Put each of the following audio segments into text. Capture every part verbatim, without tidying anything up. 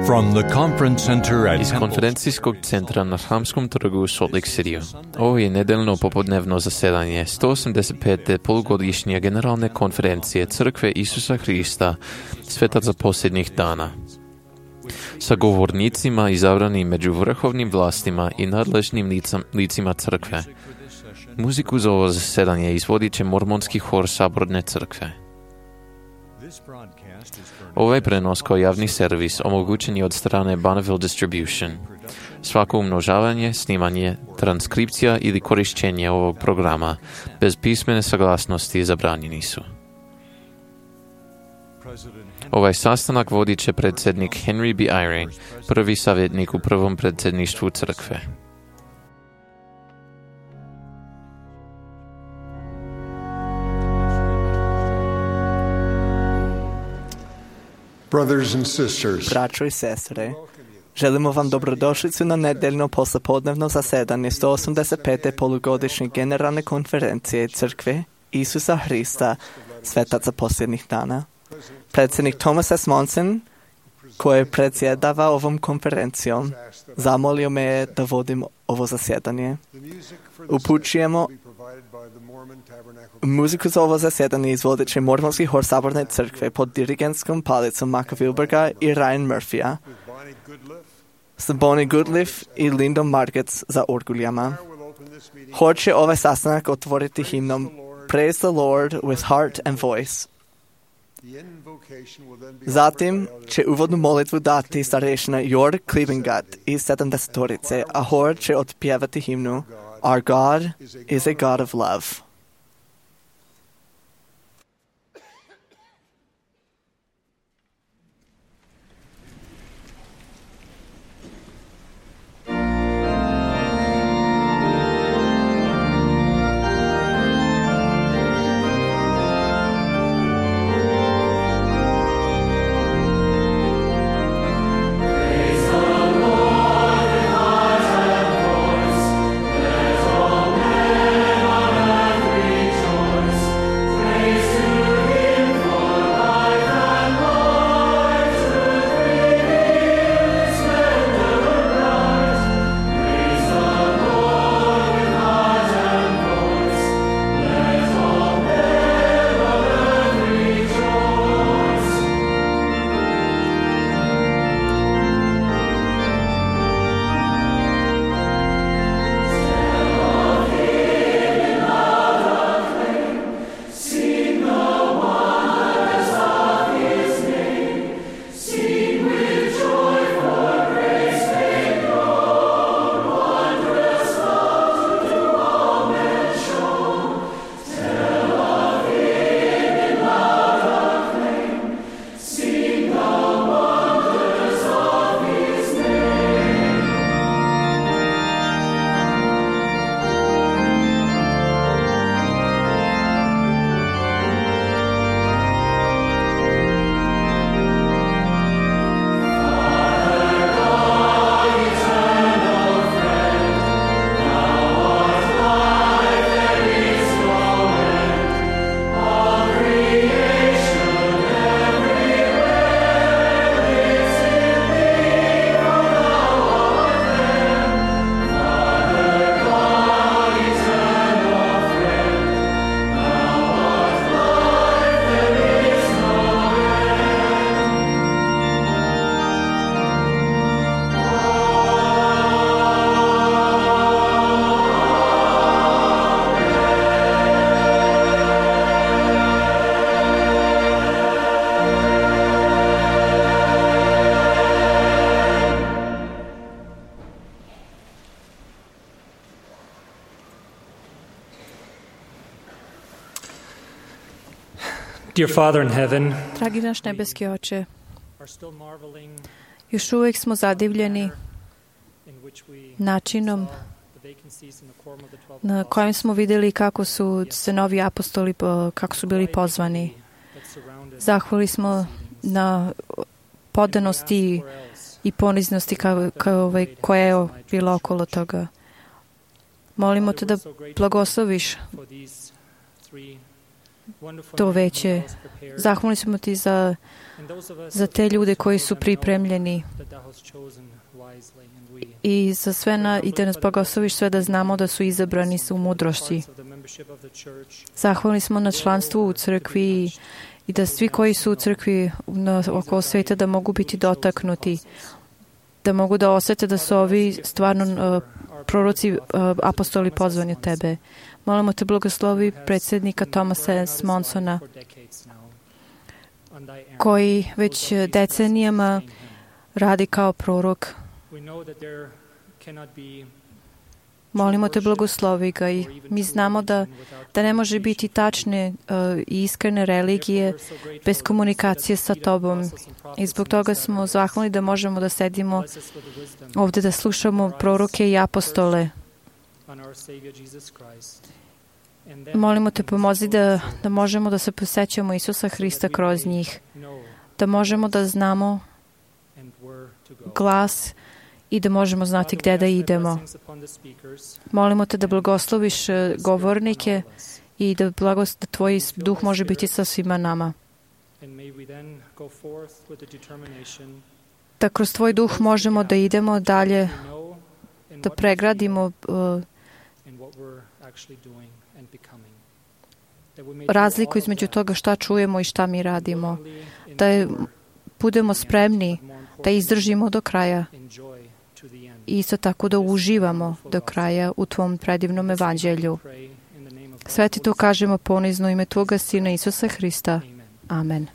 From the conference center at Iz konferencijskog centra na Hramskom trgu u Salt Lake Cityu. Ovo je nedeljno popodnevno zasedanje sto osamdeset pete polugodišnje generalne konferencije Crkve Isusa Hrista, svetaca posljednjih dana. Sa govornicima izabranim među vrhovnim vlastima i nadležnim licam, licima crkve. Muziku za ovo zasedanje izvodit će mormonski hor Saborne crkve. Ovaj prenos kao javni servis omogućen je od strane Bonneville Distribution. Svako umnožavanje, snimanje, transkripcija ili korišćenje ovog programa bez pismene saglasnosti zabranjeni su. Ovaj sastanak vodit će predsjednik Henry B. Eyring, prvi savjetnik u prvom predsjedništvu crkve. Brothers and sisters, braćo i sestre, želimo vam dobrodošlicu na nedeljno poslijepodnevno zasedanje sto osamdeset pete polugodišnje generalne konferencije Crkve Isusa Hrista, svetaca posljednjih dana. Predsjednik Thomas S. Monson, koji predsjedava ovom konferencijom, zamolio me je da vodim ovo zasjedanje. Upućujemo muziku za ovo zasjedanje izvodit će mormonski hor Saborne crkve pod dirigentskom palicom Maka Wilberga i Ryan Murphya, s Bonnie Goodliff i Lindom Margetts za orguljama. Hor će ovaj sastanak otvoriti himnom Praise the Lord with heart and voice. Zatim će uvodnu molitvu dati starešina Jord Klibengat iz sedamdesetorice, a hor će otpjevati himnu Our God is a God of love. Dear Father in heaven, dragi naš nebeski Oče, još uvijek smo zadivljeni načinom na kojem smo vidjeli kako su se novi apostoli, kako su bili pozvani. Zahvali smo na podanosti i poniznosti kao, kao, koja je bila okolo toga. Molimo te da blagosloviš to veće. Zahvalni smo ti za, za te ljude koji su pripremljeni i za sve na, i da nas blagosloviš sve da znamo da su izabrani su u mudrosti. Zahvalni smo na članstvu u crkvi i da svi koji su u crkvi na, oko sveta da mogu biti dotaknuti, da mogu da osjete da su ovi stvarno uh, proroci, uh, apostoli pozvani od tebe. Molimo te blagoslovi predsjednika Thomasa S. Monsona, koji već decenijama radi kao prorok. Molimo te blagoslovi ga i mi znamo da, da ne može biti tačne uh, i iskrene religije bez komunikacije sa tobom. I zbog toga smo zahvalni da možemo da sedimo ovdje da slušamo proroke i apostole. Molimo te pomozi da, da možemo da se posjećamo Isusa Hrista kroz njih, da možemo da znamo glas i da možemo znati gdje da idemo. Molimo te da blagosloviš govornike i da, blagos, da tvoj duh može biti sa svima nama. Da kroz tvoj duh možemo da idemo dalje, da pregradimo uh, razliku između toga šta čujemo i šta mi radimo. Da je, budemo spremni da izdržimo do kraja i isto tako da uživamo do kraja u tvom predivnom evanđelju. Sve ti to kažemo ponizno u ime tvoga Sina Isusa Hrista. Amen.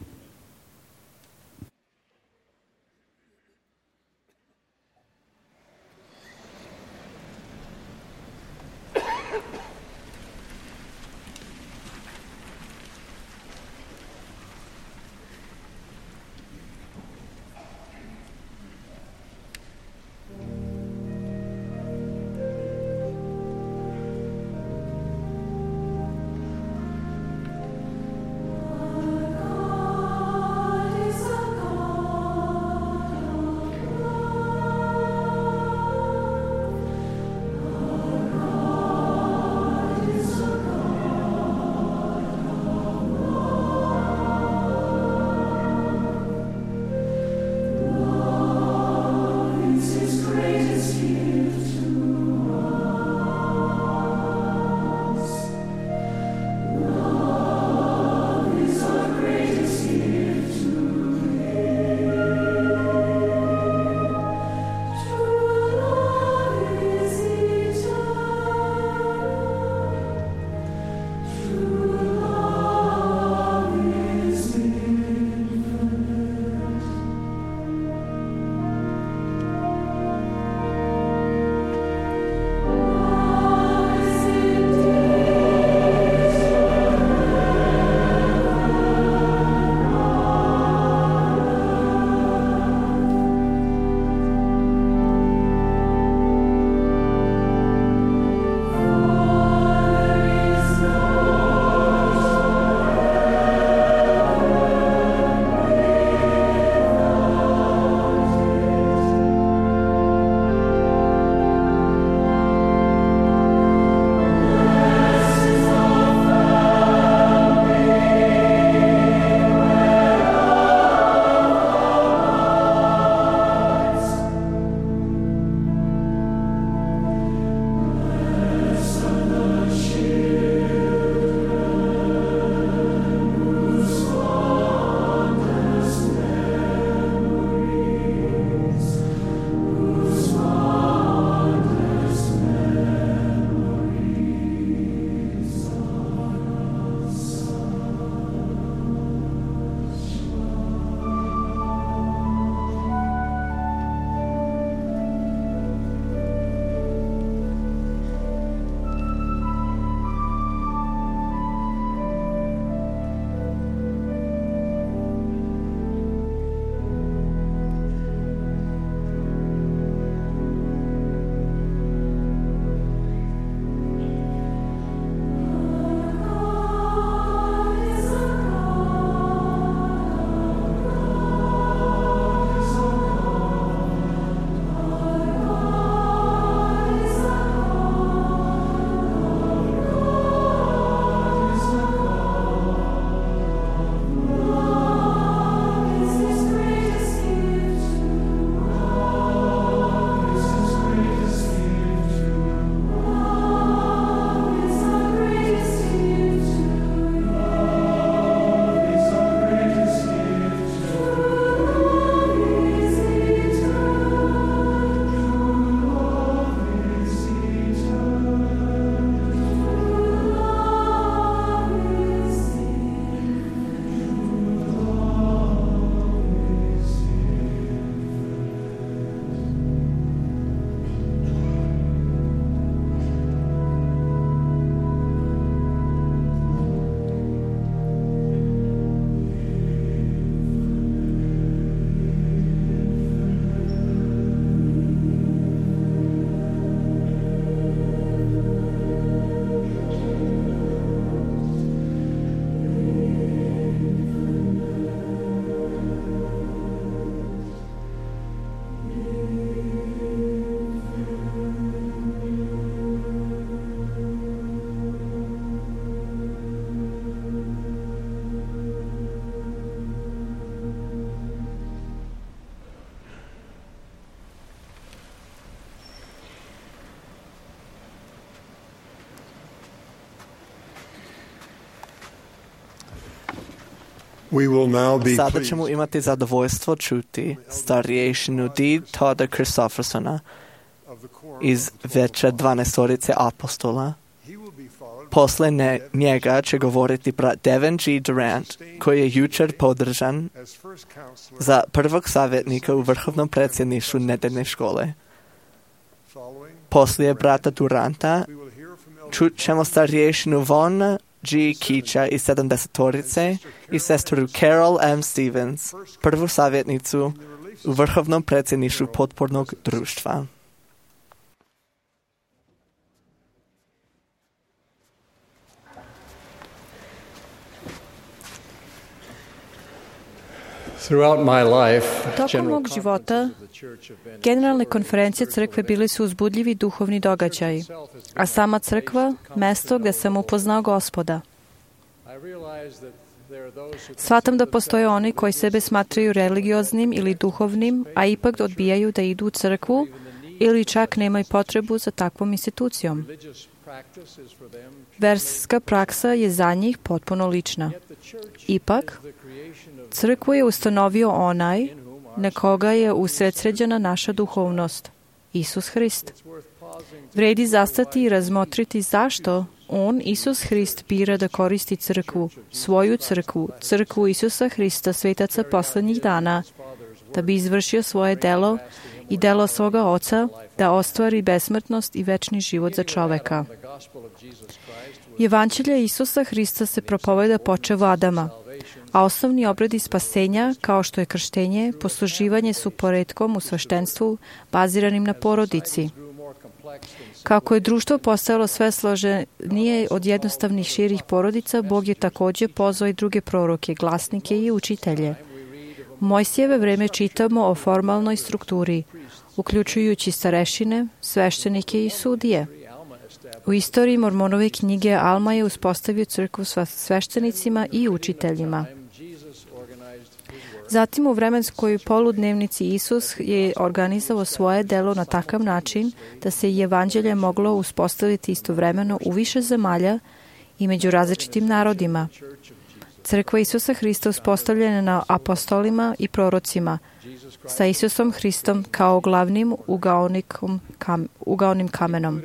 Oh Sada ćemo imati zadovoljstvo čuti starješinu D. Todda Christoffersona iz veće dvanaestorice apostola. Posle ne, njega će govoriti brat Devin G. Durant, koji je jučer podržan za prvog savjetnika u vrhovnom predsjedništvu nedeljne škole. Poslije brata Duranta čut ćemo starješinu Von G. Kića iz sedamdesetorice i sestru Carol M. Stevens, prvu savjetnicu u vrhovnom predsjedništvu potpornog društva. Tokom mog života, generalne konferencije crkve bili su uzbudljivi duhovni događaji, a sama crkva, mesto gdje sam upoznao Gospoda. Shvatam da postoje oni koji sebe smatraju religioznim ili duhovnim, a ipak odbijaju da idu u crkvu ili čak nemaju potrebu za takvom institucijom. Verska praksa je za njih potpuno lična. Ipak, crkvu je ustanovio onaj na koga je usredsređena naša duhovnost, Isus Hrist. Vredi zastati i razmotriti zašto On, Isus Hrist, bira da koristi crkvu, svoju crkvu, crkvu Isusa Hrista, svetaca poslednjih dana, da bi izvršio svoje delo i delo svoga Oca, da ostvari besmrtnost i večni život za čoveka. Evanđelje Isusa Hrista se propoveda počev Adama, a osnovni obredi spasenja, kao što je krštenje, posluživanje su poretkom u sveštenstvu, baziranim na porodici. Kako je društvo postajalo sve složenije od jednostavnih širih porodica, Bog je također pozvao i druge proroke, glasnike i učitelje. U Mojsijeve vreme čitamo o formalnoj strukturi, uključujući starešine, sveštenike i sudije. U istoriji Mormonove knjige Alma je uspostavio crkvu sa sveštenicima i učiteljima. Zatim u vremenskoj poludnevnici Isus je organizovao svoje delo na takav način da se i evanđelje moglo uspostaviti istovremeno u više zemalja i među različitim narodima. Crkva Isusa Hrista uspostavljena na apostolima i prorocima, sa Isusom Hristom kao glavnim kam, ugaonim kamenom.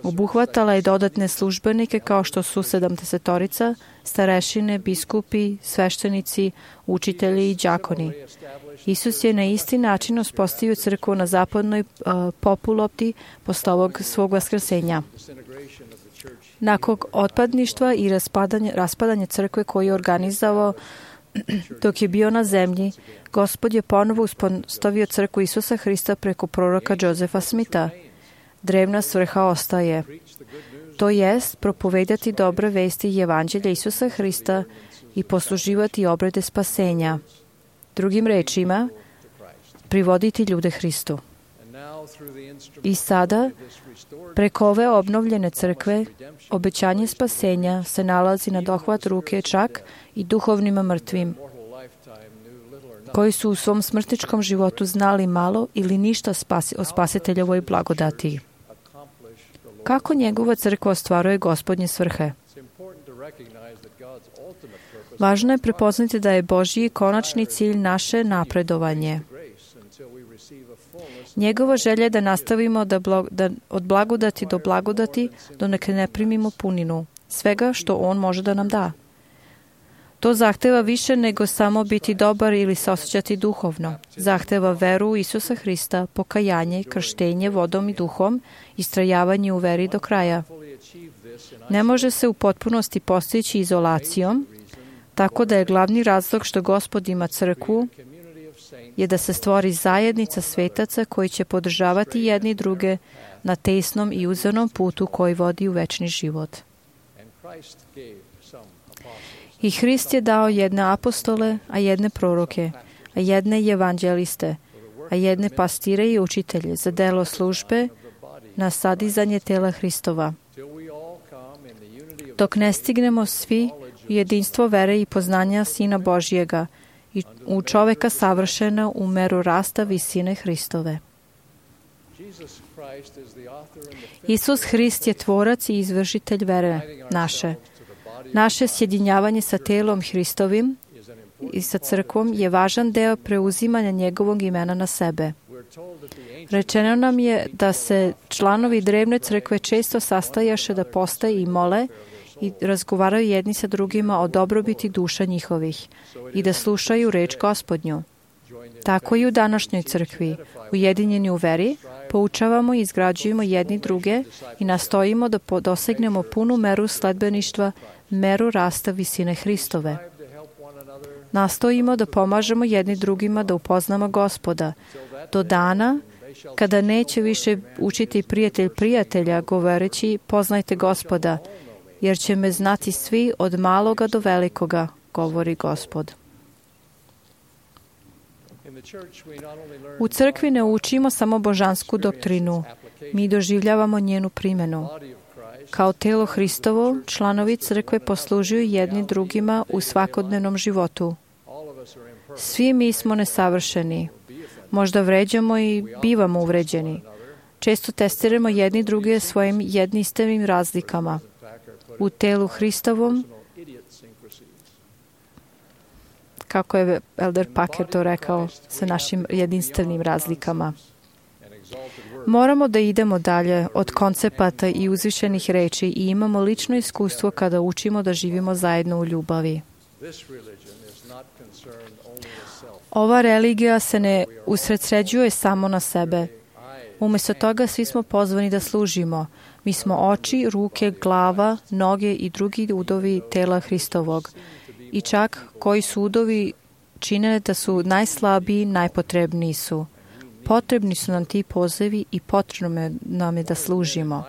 Obuhvatala je dodatne službenike kao što su sedamdesetorica, starešine, biskupi, sveštenici, učitelji i đakoni. Isus je na isti način uspostavio crkvu na zapadnoj uh, populopti posle ovog svog vaskrsenja. Nakon otpadništva i raspadanja, raspadanja crkve koji je organizovao dok je bio na zemlji, Gospod je ponovo uspostavio crkvu Isusa Hrista preko proroka Josefa Smitha. Drevna svrha ostaje. To jest propovedati dobre vesti i evanđelja Isusa Hrista i posluživati obrede spasenja. Drugim rečima, privoditi ljude Hristu. I sada, preko ove obnovljene crkve, obećanje spasenja se nalazi na dohvat ruke čak i duhovnima mrtvim, koji su u svom smrtničkom životu znali malo ili ništa spasi, o spasiteljovoj blagodati. Kako njegova crkva ostvaruje Gospodnje svrhe? Važno je prepoznati da je Božji konačni cilj naše napredovanje. Njegova želja je da nastavimo da, blag, da od blagodati do blagodati dok ne primimo puninu svega što On može da nam da. To zahteva više nego samo biti dobar ili se osjećati duhovno. Zahteva veru u Isusa Hrista, pokajanje, krštenje vodom i duhom, istrajavanje u veri do kraja. Ne može se u potpunosti postići izolacijom, tako da je glavni razlog što Gospod ima crkvu je da se stvori zajednica svetaca koji će podržavati jedni druge na tesnom i uzornom putu koji vodi u večni život. I Hrist je dao jedne apostole, a jedne proroke, a jedne evanđeliste, a jedne pastire i učitelje za delo službe na sadizanje tela Hristova. Dok ne stignemo svi u jedinstvo vere i poznanja Sina Božjega i u čoveka savršena u meru rasta visine Hristove. Isus Hrist je tvorac i izvršitelj vere naše. Naše sjedinjavanje sa telom Hristovim i sa crkvom je važan deo preuzimanja njegovog imena na sebe. Rečeno nam je da se članovi drevne crkve često sastajaše da postaje i mole i razgovaraju jedni sa drugima o dobrobiti duša njihovih i da slušaju reč Gospodnju. Tako i u današnjoj crkvi, ujedinjeni u veri, poučavamo i izgrađujemo jedni druge i nastojimo da dosegnemo punu meru sledbeništva, meru rasta visine Hristove. Nastojimo da pomažemo jedni drugima da upoznamo Gospoda, do dana kada neće više učiti prijatelj prijatelja govoreći poznajte Gospoda, jer će me znati svi od maloga do velikoga, govori Gospod. U crkvi ne učimo samo božansku doktrinu, mi doživljavamo njenu primjenu. Kao telo Hristovo, članovi crkve poslužuju jedni drugima u svakodnevnom životu. Svi mi smo nesavršeni. Možda vređamo i bivamo uvređeni. Često testiramo jedni druge svojim jedinstvenim razlikama. U telu Hristovom, kako je Elder Packer to rekao, sa našim jedinstvenim razlikama. Moramo da idemo dalje od koncepata i uzvišenih reči i imamo lično iskustvo kada učimo da živimo zajedno u ljubavi. Ova religija se ne usredsređuje samo na sebe. Umjesto toga svi smo pozvani da služimo. Mi smo oči, ruke, glava, noge i drugi udovi tela Hristovog. I čak koji su udovi čine da su najslabiji, najpotrebniji su. Potrebni su nam ti pozivi i potrebno nam je da služimo.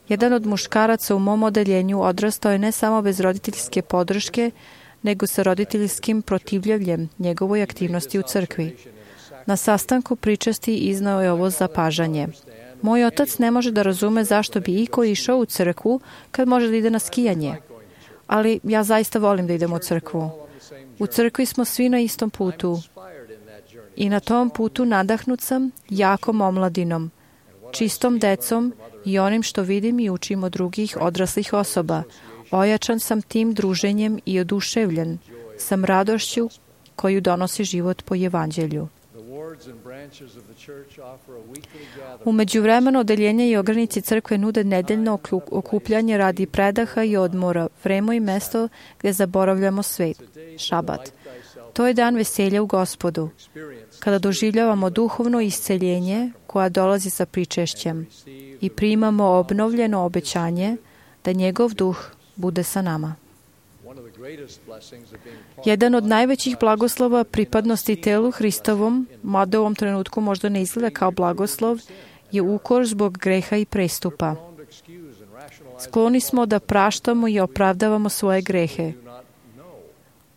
Jedan od muškaraca u mom odeljenju odrastao je ne samo bez roditeljske podrške, nego sa roditeljskim protivljenjem njegovoj aktivnosti u crkvi. Na sastanku pričasti iznao je ovo zapažanje. Moj otac ne može da razume zašto bi iko išao u crkvu kad može da ide na skijanje. Ali ja zaista volim da idem u crkvu. U crkvi smo svi na istom putu. I na tom putu nadahnut sam jakom omladinom, čistom decom i onim što vidim i učim od drugih odraslih osoba. Ojačan sam tim druženjem i oduševljen sam radošću koju donosi život po evanđelju. U međuvremenu odeljenje i ogranici crkve nude nedeljno okupljanje radi predaha i odmora, vreme i mesto gdje zaboravljamo svet, šabat. To je dan veselja u Gospodu, kada doživljavamo duhovno isceljenje koja dolazi sa pričešćem i primamo obnovljeno obećanje da njegov duh bude sa nama. Jedan od najvećih blagoslova pripadnosti telu Hristovom, mada u ovom trenutku možda ne izgleda kao blagoslov, je ukor zbog greha i prestupa. Skloni smo da praštamo i opravdavamo svoje grehe,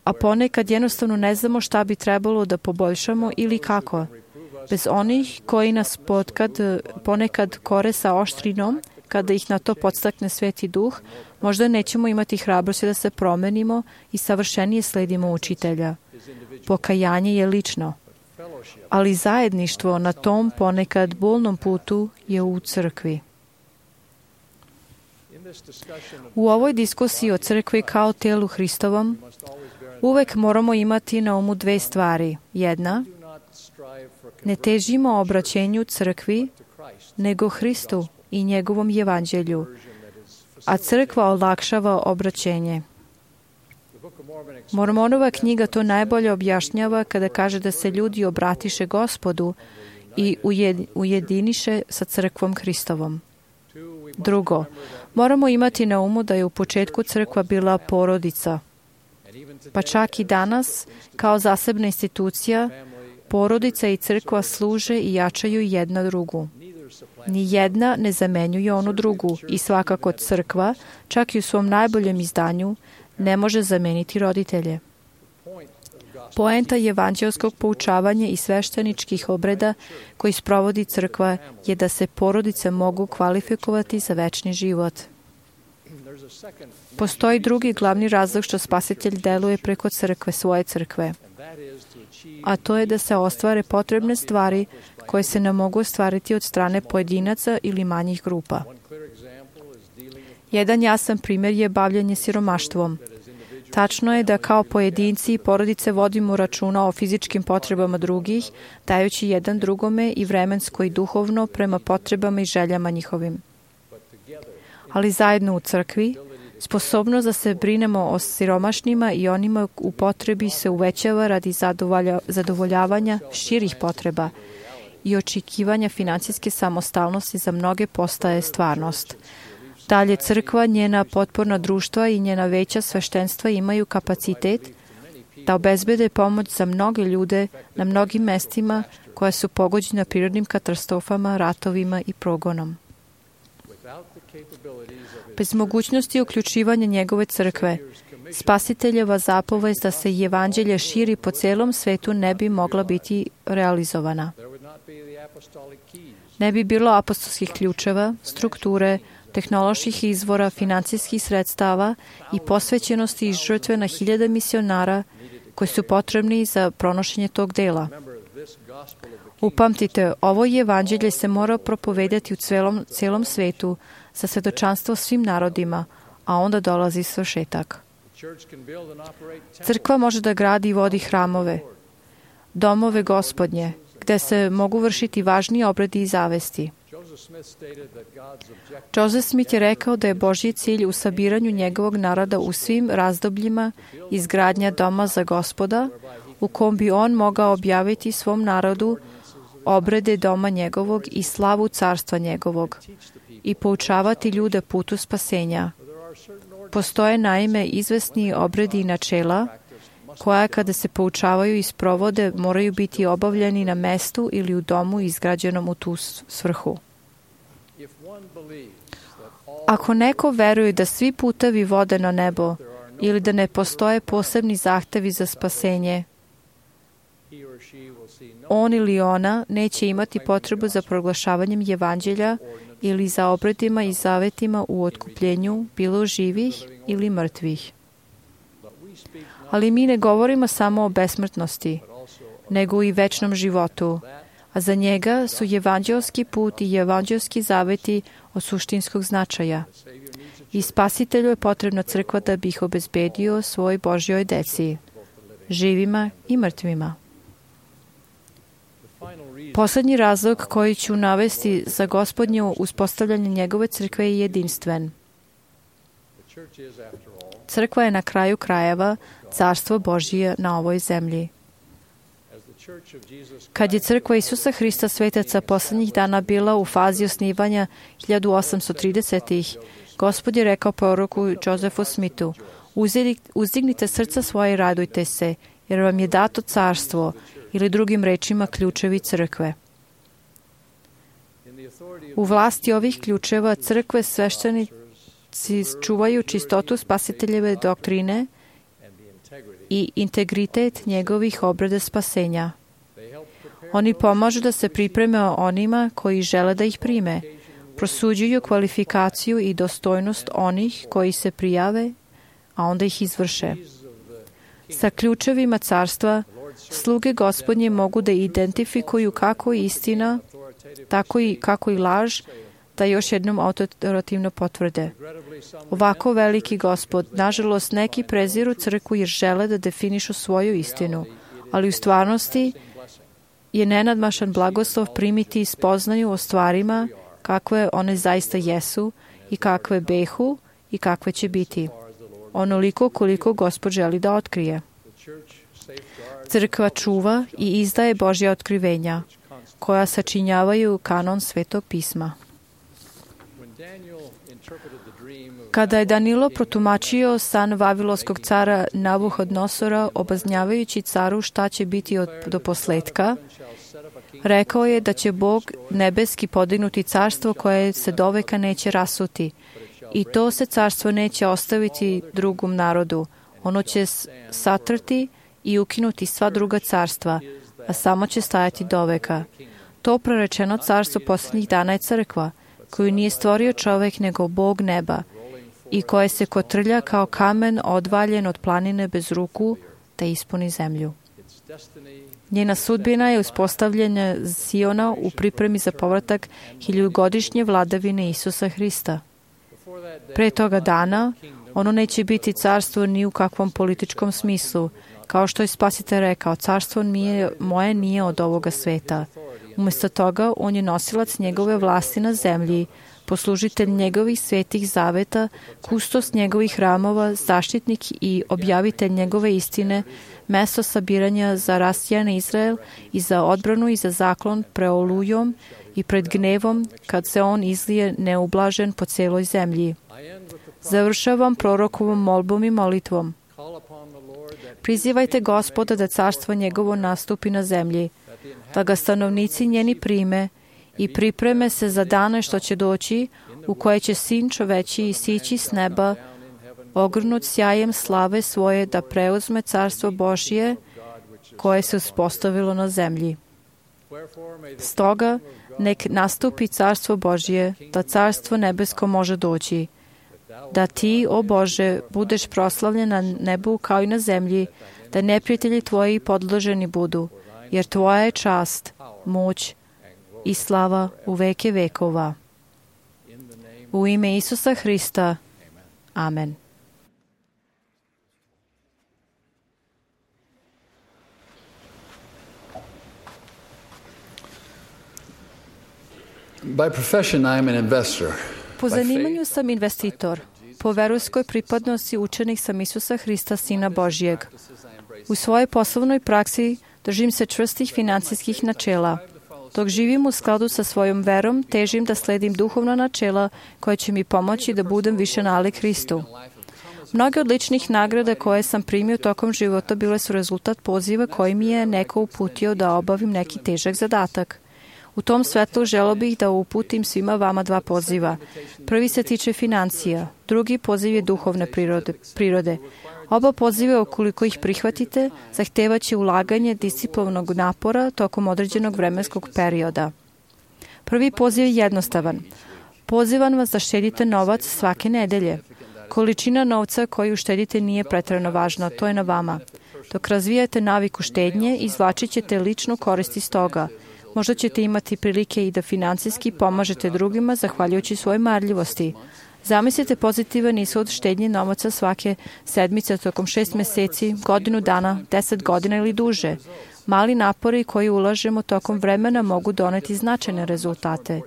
a ponekad jednostavno ne znamo šta bi trebalo da poboljšamo ili kako. Bez onih koji nas potkad, ponekad kore sa oštrinom, kada ih na to podstakne Sveti Duh, možda nećemo imati hrabrosti da se promenimo i savršenije sledimo učitelja. Pokajanje je lično, ali zajedništvo na tom ponekad bolnom putu je u crkvi. U ovoj diskusiji o crkvi kao telu Hristovom uvek moramo imati na umu dve stvari. Jedna, ne težimo obraćenju crkvi, nego Hristu i njegovom evanđelju, a crkva olakšava obraćenje. Mormonova knjiga to najbolje objašnjava kada kaže da se ljudi obratiše Gospodu i ujediniše sa crkvom Hristovom. Drugo, moramo imati na umu da je u početku crkva bila porodica. Pa čak i danas, kao zasebna institucija, porodica i crkva služe i jačaju jedna drugu. Ni jedna ne zamenjuje onu drugu i svakako crkva, čak i u svom najboljem izdanju, ne može zameniti roditelje. Poenta evanđelskog poučavanja i svešteničkih obreda koji sprovodi crkva je da se porodice mogu kvalifikovati za večni život. Postoji drugi glavni razlog što Spasitelj deluje preko crkve, svoje crkve, a to je da se ostvare potrebne stvari koje se ne mogu ostvariti od strane pojedinaca ili manjih grupa. Jedan jasan primjer je bavljanje siromaštvom. Tačno je da kao pojedinci i porodice vodimo računa o fizičkim potrebama drugih, dajući jedan drugome i vremensko i duhovno prema potrebama i željama njihovim. Ali zajedno u crkvi, sposobnost da se brinemo o siromašnima i onima u potrebi se uvećava radi zadovoljavanja širih potreba i očekivanja finansijske samostalnosti za mnoge postaje stvarnost. Dalje, crkva, njena potporna društva i njena veća sveštenstva imaju kapacitet da obezbede pomoć za mnoge ljude na mnogim mestima koja su pogođena prirodnim katastrofama, ratovima i progonom. Bez mogućnosti uključivanja njegove crkve, Spasiteljeva zapovest da se evanđelje širi po celom svetu ne bi mogla biti realizovana. Ne bi bilo apostolskih ključeva, strukture, tehnoloških izvora, financijskih sredstava i posvećenosti i žrtve na hiljade misionara koji su potrebni za pronošenje tog dela. Upamtite, ovo evanđelje se mora propovedati u celom, celom svetu za svedočanstvo svim narodima, a onda dolazi svršetak. Crkva može da gradi i vodi hramove, domove Gospodnje, gde se mogu vršiti važni obredi i zavesti. Joseph Smith je rekao da je Božji cilj u sabiranju njegovog naroda u svim razdobljima izgradnja doma za Gospoda, u kom bi on mogao objaviti svom narodu obrede doma njegovog i slavu carstva njegovog i poučavati ljude putu spasenja. Postoje naime izvesni obredi i načela koja kada se poučavaju i sprovode moraju biti obavljeni na mestu ili u domu izgrađenom u tu svrhu. Ako neko veruje da svi putevi vode na nebo ili da ne postoje posebni zahtevi za spasenje, on ili ona neće imati potrebu za proglašavanjem evanđelja ili za obredima i zavetima u otkupljenju bilo živih ili mrtvih. Ali mi ne govorimo samo o besmrtnosti, nego i večnom životu, a za njega su evanđelski put i evanđelski zaveti od suštinskog značaja. I Spasitelju je potrebna crkva da bi ih obezbedio svoj Božjoj deci, živima i mrtvima. Poslednji razlog koji ću navesti za Gospodnje uspostavljanje njegove crkve je jedinstven. Crkva je na kraju krajeva carstvo Božije na ovoj zemlji. Kad je crkva Isusa Hrista svetaca poslednjih dana bila u fazi osnivanja hiljadu osamsto tridesetih. Gospod je rekao proroku Josephu Smithu: uzdignite srca svoje i radujte se, jer vam je dato carstvo, ili drugim rečima ključevi crkve. U vlasti ovih ključeva crkve sveštenici čuvaju čistotu Spasiteljeve doktrine i integritet njegovih obreda spasenja. Oni pomažu da se pripreme onima koji žele da ih prime, prosuđuju kvalifikaciju i dostojnost onih koji se prijave, a onda ih izvrše. Sa ključevima carstva sluge Gospodnje mogu da identifikuju kako istina, tako i kako i laž, da još jednom autoritativno potvrde. Ovako veliki Gospod, nažalost, neki preziru crkvu jer žele da definišu svoju istinu, ali u stvarnosti je nenadmašan blagoslov primiti spoznaju o stvarima kakve one zaista jesu i kakve behu i kakve će biti. Onoliko koliko Gospod želi da otkrije. Crkva čuva i izdaje Božja otkrivenja, koja sačinjavaju kanon Svetog pisma. Kada je Danilo protumačio san vavilonskog cara Navuhodnosora, obaznjavajući caru šta će biti od, do posletka, rekao je da će Bog nebeski podignuti carstvo koje se doveka neće rasuti. I to se carstvo neće ostaviti drugom narodu. Ono će satrti i ukinuti sva druga carstva, a samo će stajati doveka. To prorečeno carstvo posljednjih dana je crkva, koju nije stvorio čovek nego Bog neba, i koje se kotrlja kao kamen odvaljen od planine bez ruku, da ispuni zemlju. Njena sudbina je uspostavljena Siona u pripremi za povratak hiljugodišnje vladavine Isusa Hrista. Pre toga dana, ono neće biti carstvo ni u kakvom političkom smislu. Kao što je Spasitelj rekao, carstvo nije, moje nije od ovoga sveta. Umjesto toga, on je nosilac njegove vlasti na zemlji, poslužitelj njegovih svetih zaveta, kustos njegovih hramova, zaštitnik i objavitelj njegove istine, mesto sabiranja za rasijan Izrael i za odbranu i za zaklon pre olujom i pred gnevom kad se on izlije neublažen po celoj zemlji. Završavam prorokovom molbom i molitvom. Prizivajte Gospoda da carstvo njegovo nastupi na zemlji, da ga stanovnici njeni prime i pripreme se za dane što će doći, u koje će Sin čoveči isići s neba, ogrnut sjajem slave svoje da preuzme carstvo Božje koje se uspostavilo na zemlji. Stoga, nek nastupi carstvo Božje, da carstvo nebesko može doći, da ti, o Bože, budeš proslavljen na nebu kao i na zemlji, da neprijatelji tvoji podloženi budu, jer tvoja je čast, moć i slava u veke vekova. U ime Isusa Hrista. Amen. By profession, I am an investor. Po zanimanju sam investitor. Po verujskoj pripadnosti učenik sam Isusa Hrista, Sina Božijeg. U svojoj poslovnoj praksi držim se čvrstih financijskih načela. Dok živim u skladu sa svojom verom, težim da sledim duhovna načela koja će mi pomoći da budem više nalik Hristu. Mnoge od ličnih nagrada koje sam primio tokom života bile su rezultat poziva koji mi je neko uputio da obavim neki težak zadatak. U tom svetlu želeo bih da uputim svima vama dva poziva. Prvi se tiče financija, drugi poziv je duhovne prirode. prirode. Oba poziva, ukoliko ih prihvatite, zahtevaće ulaganje disciplovnog napora tokom određenog vremenskog perioda. Prvi poziv je jednostavan. Pozivam vas da štedite novac svake nedelje. Količina novca koju štedite nije preterano važna, to je na vama. Dok razvijate naviku štednje, izvlačit ćete ličnu korist iz toga. Možda ćete imati prilike i da financijski pomažete drugima zahvaljujući svojoj marljivosti. Zamislite pozitivan ishod štednje novaca svake sedmice tokom šest meseci, godinu dana, deset godina ili duže. Mali napori koji ulažemo tokom vremena mogu doneti značajne rezultate.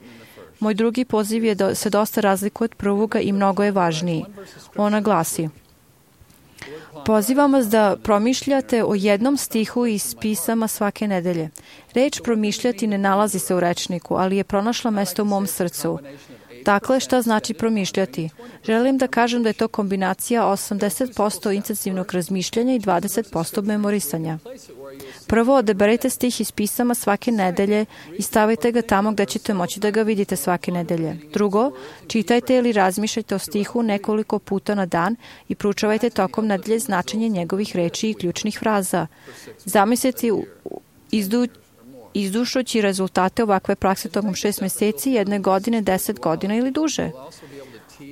Moj drugi poziv je da se dosta razlikuje od prvoga i mnogo je važniji. Ona glasi: pozivam vas da promišljate o jednom stihu iz pisama svake nedelje. Reč promišljati ne nalazi se u rečniku, ali je pronašla mesto u mom srcu. Dakle, šta znači promišljati? Želim da kažem da je to kombinacija osamdeset posto intenzivnog razmišljanja i dvadeset posto memorisanja. Prvo, odaberite stih iz pisama svake nedelje i stavite ga tamo gde ćete moći da ga vidite svake nedelje. Drugo, čitajte ili razmišljajte o stihu nekoliko puta na dan i proučavajte tokom nedelje značenje njegovih reči i ključnih fraza. Zamislite izdu izdušujući rezultate ovakve prakse tokom šest meseci, jedne godine, deset godina ili duže.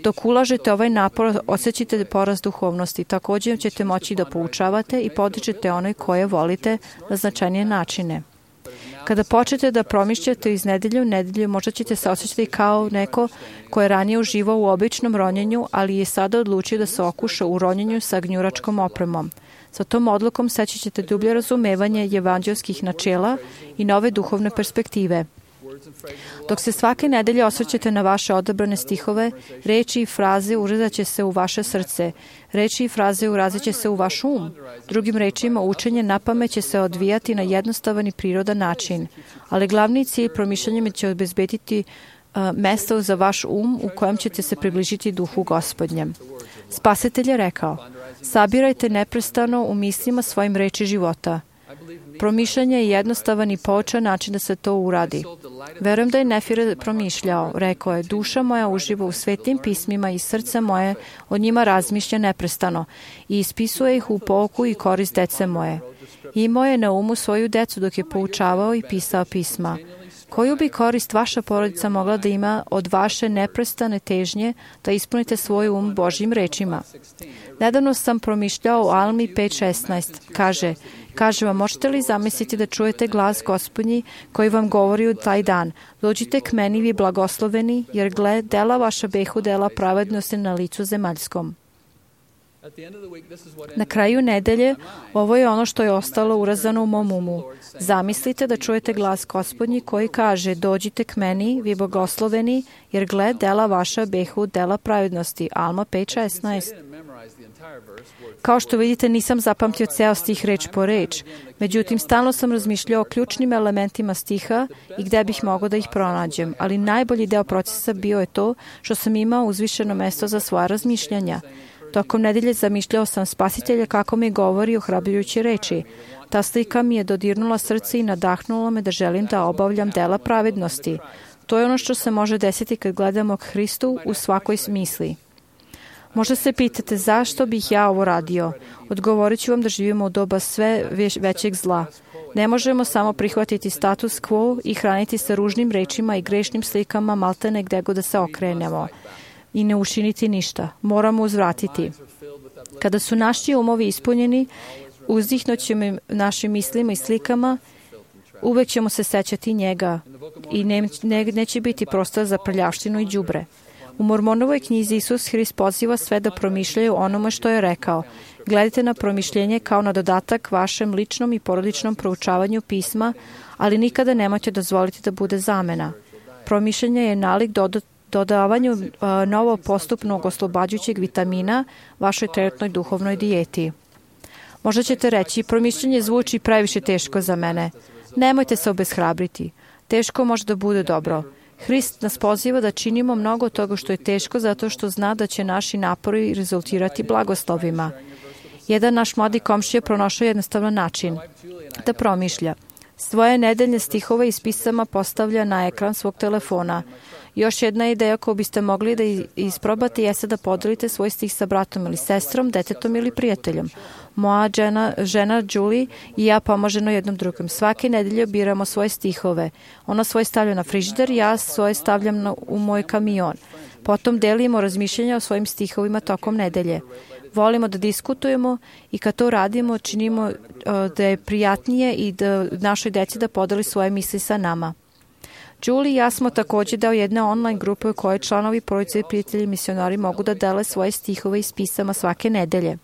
Dok ulažete ovaj napor, osjećate porast duhovnosti. Također ćete moći da poučavate i podičete one koje volite na značajnije načine. Kada počnete da promišljate iz nedelje u nedelju, možda ćete se osjećati kao neko ko je ranije uživao u običnom ronjenju, ali je sada odlučio da se okuša u ronjenju sa gnjuračkom opremom. Sa tom odlukom seći ćete dublje razumevanje evanđelskih načela i nove duhovne perspektive. Dok se svake nedelje osvrćete na vaše odabrane stihove, reči i fraze urezat će se u vaše srce. Reči i fraze urazit će se u vaš um. Drugim rečima, učenje na pamet će se odvijati na jednostavan i prirodan način. Ali glavni cilj promišljanjem će obezbediti uh, mesto za vaš um u kojem ćete se približiti duhu Gospodnjem. Spasitelj je rekao: sabirajte neprestano u mislima svojim reči života. Promišljanje je jednostavan i poučan način da se to uradi. Verujem da je Nefire promišljao. Rekao je: duša moja uživa u svetim pismima i srce moje od njima razmišlja neprestano i ispisuje ih u pouku i korist dece moje. Imao je na umu svoju decu dok je poučavao i pisao pisma. Koju bi korist vaša porodica mogla da ima od vaše neprestane težnje da ispunite svoj um Božjim rečima? Nedavno sam promišljao o Almi pet šesnaest. Kaže: Kažem vam, možete li zamisliti da čujete glas Gospodnji koji vam govori u taj dan? Dođite k meni, vi blagosloveni, jer gle, dela vaša behu dela pravednosti na licu zemaljskom. Na kraju nedelje, ovo je ono što je ostalo urazano u mom umu. Zamislite da čujete glas Gospodnji koji kaže, dođite k meni, vi blagosloveni, jer gle, dela vaša behu dela pravednosti. Alma pet šesnaest. Kao što vidite, nisam zapamtio ceo stih reč po reč. Međutim, stalno sam razmišljao o ključnim elementima stiha i gde bih mogao da ih pronađem. Ali najbolji deo procesa bio je to što sam imao uzvišeno mesto za svoja razmišljanja. Tokom nedelje zamišljao sam Spasitelja kako mi govori ohrabrujuće reči. Ta slika mi je dodirnula srce i nadahnula me da želim da obavljam dela pravednosti. To je ono što se može desiti kad gledamo k Hristu u svakoj smisli. Možda se pitate zašto bih ja ovo radio. Odgovorit ću vam da živimo u doba sve većeg zla. Ne možemo samo prihvatiti status quo i hraniti se ružnim rečima i grešnim slikama maltene gde god da se okrenemo i ne učiniti ništa. Moramo uzvratiti. Kada su naši umovi ispunjeni, uzdihnućemo našim mislima i slikama, uvek ćemo se sećati njega i ne, ne, neće biti prostora za prljavštinu i đubre. U Mormonovoj knjizi Isus Hrist poziva sve da promišljaju onome što je rekao. Gledajte na promišljenje kao na dodatak vašem ličnom i porodičnom proučavanju pisma, ali nikada nemojte dozvoliti da bude zamena. Promišljanje je nalik dodat dodavanju uh, novo postupnog oslobađajućeg vitamina vašoj trenutnoj duhovnoj dijeti. Možda ćete reći, promišljanje zvuči previše teško za mene. Nemojte se obeshrabriti. Teško može da bude dobro. Hrist nas poziva da činimo mnogo toga što je teško zato što zna da će naši napori rezultirati blagoslovima. Jedan naš mladi komšija pronašao jednostavan način da promišlja. Svoje nedeljne stihove iz pisama postavlja na ekran svog telefona. Još jedna ideja koju biste mogli da isprobate jeste da podelite svoj stih sa bratom ili sestrom, detetom ili prijateljom. Moja žena, žena Julie i ja pomažemo jednom drugom. Svake nedelje biramo svoje stihove. Ona svoje stavlja na frižider, ja svoje stavljam na, u moj kamion. Potom delimo razmišljanja o svojim stihovima tokom nedelje. Volimo da diskutujemo i kad to radimo, činimo uh, da je prijatnije i da našoj deci da podeli svoje misli sa nama. Julie i ja smo također deo jedne online grupe u kojoj članovi porodice i prijatelji misionari mogu da dele svoje stihove iz pisama svake nedelje.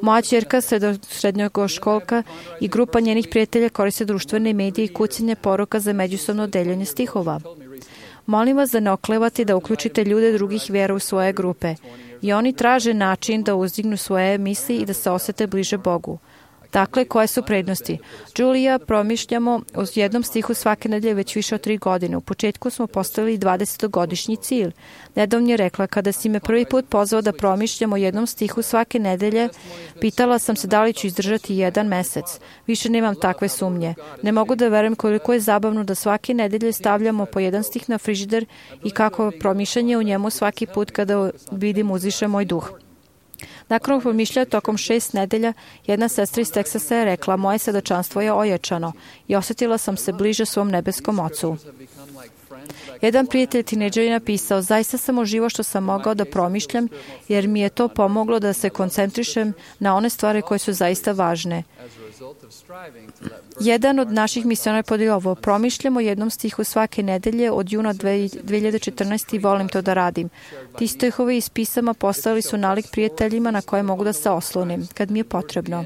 Moja ćerka, srednjoškolka i grupa njenih prijatelja koriste društvene medije i kucanje poruka za međusobno deljenje stihova. Molim vas da ne oklevate da uključite ljude drugih vjera u svoje grupe. I oni traže način da uzdignu svoje misli i da se osete bliže Bogu. Dakle, koje su prednosti? Julija promišljamo o jednom stihu svake nedelje već više od tri godine. U početku smo postavili dvadesetogodišnji cilj. Nedavno je rekla, kada si me prvi put pozvao da promišljamo o jednom stihu svake nedelje, pitala sam se da li ću izdržati jedan mesec. Više nemam takve sumnje. Ne mogu da verujem koliko je zabavno da svake nedelje stavljamo po jedan stih na frižider i kako promišljanje u njemu svaki put kada vidim uzviše moj duh. Nakon promišljaja tokom šest nedelja, jedna sestra iz Teksasa je rekla, moje svedočanstvo je ojačano i osjetila sam se bliže svom nebeskom ocu. Jedan prijatelj tinejdžer je napisao, zaista sam uživao što sam mogao da promišljam, jer mi je to pomoglo da se koncentrišem na one stvari koje su zaista važne. Jedan od naših misionara podelio ovo, promišljamo jednom stihu svake nedelje od juna dve hiljade četrnaeste. i volim to da radim. Ti stihovi iz pisama postali su nalik prijateljima na koje mogu da se oslonim, kad mi je potrebno.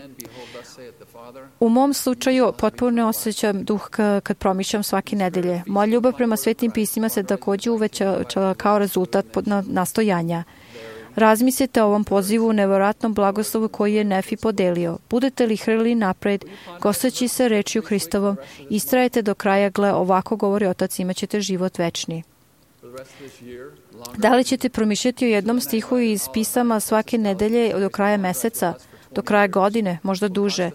U mom slučaju potpuno osjećam duh kad promišljam svake nedelje. Moja ljubav prema svetim pismima se također uvećala kao rezultat nastojanja. Razmislite o ovom pozivu u nevjerojatnom blagoslovu koji je Nefi podelio. Budete li hrlili napred, gosteći se rečju Hristovom, istrajete do kraja, gle, ovako govori Otac, imat ćete život večni. Da li ćete promišljati o jednom stihu iz pisama svake nedelje do kraja meseca, do kraja godine, možda duže?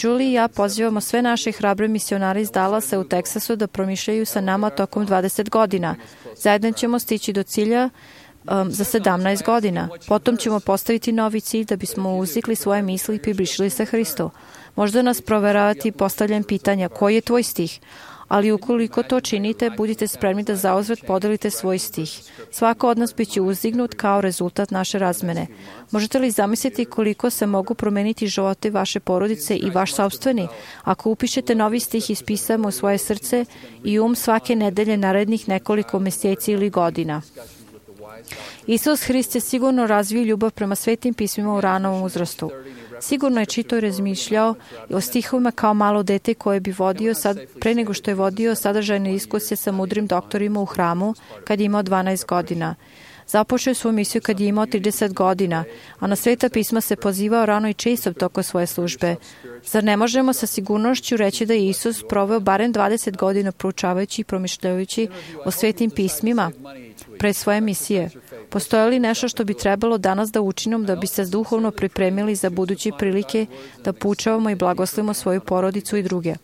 Julie i ja pozivamo sve naše hrabre misionare iz Dallasa u Teksasu da promišljaju sa nama tokom dvadeset godina. Zajedno ćemo stići do cilja Um, za sedamnaest godina. Potom ćemo postaviti novi cilj da bismo uzdigli svoje misli i približili se Hristu. Možda nas proveravati postavljam pitanja, koji je tvoj stih? Ali ukoliko to činite, budite spremni da zauzvrat podelite svoj stih. Svako od nas biće uzdignut kao rezultat naše razmene. Možete li zamisliti koliko se mogu promeniti živote vaše porodice i vaš sopstveni ako upišete novi stih iz pisama u svoje srce i um svake nedelje narednih nekoliko mjeseci ili godina? Isus Hrist je sigurno razvio ljubav prema svetim pismima u ranom uzrastu. Sigurno je čitao i razmišljao o stihovima kao malo dete koje bi vodio sad, pre nego što je vodio sadržajne diskusije sa mudrim doktorima u hramu kad je imao dvanaest godina. Započeo je svoju misiju kad je imao trideset godina, a na sveta pisma se pozivao rano i često toko svoje službe. Zar ne možemo sa sigurnošću reći da je Isus proveo barem dvadeset godina proučavajući i promišljajući o svetim pismima pre svoje misije? Postoje li nešto što bi trebalo danas da učinimo da bi se duhovno pripremili za buduće prilike da poučavamo i blagoslovimo svoju porodicu i druge?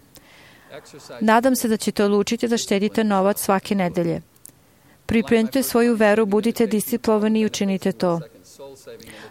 Nadam se da ćete odlučiti da štedite novac svake nedelje. Pripremite svoju veru, budite disciplinovani i učinite to.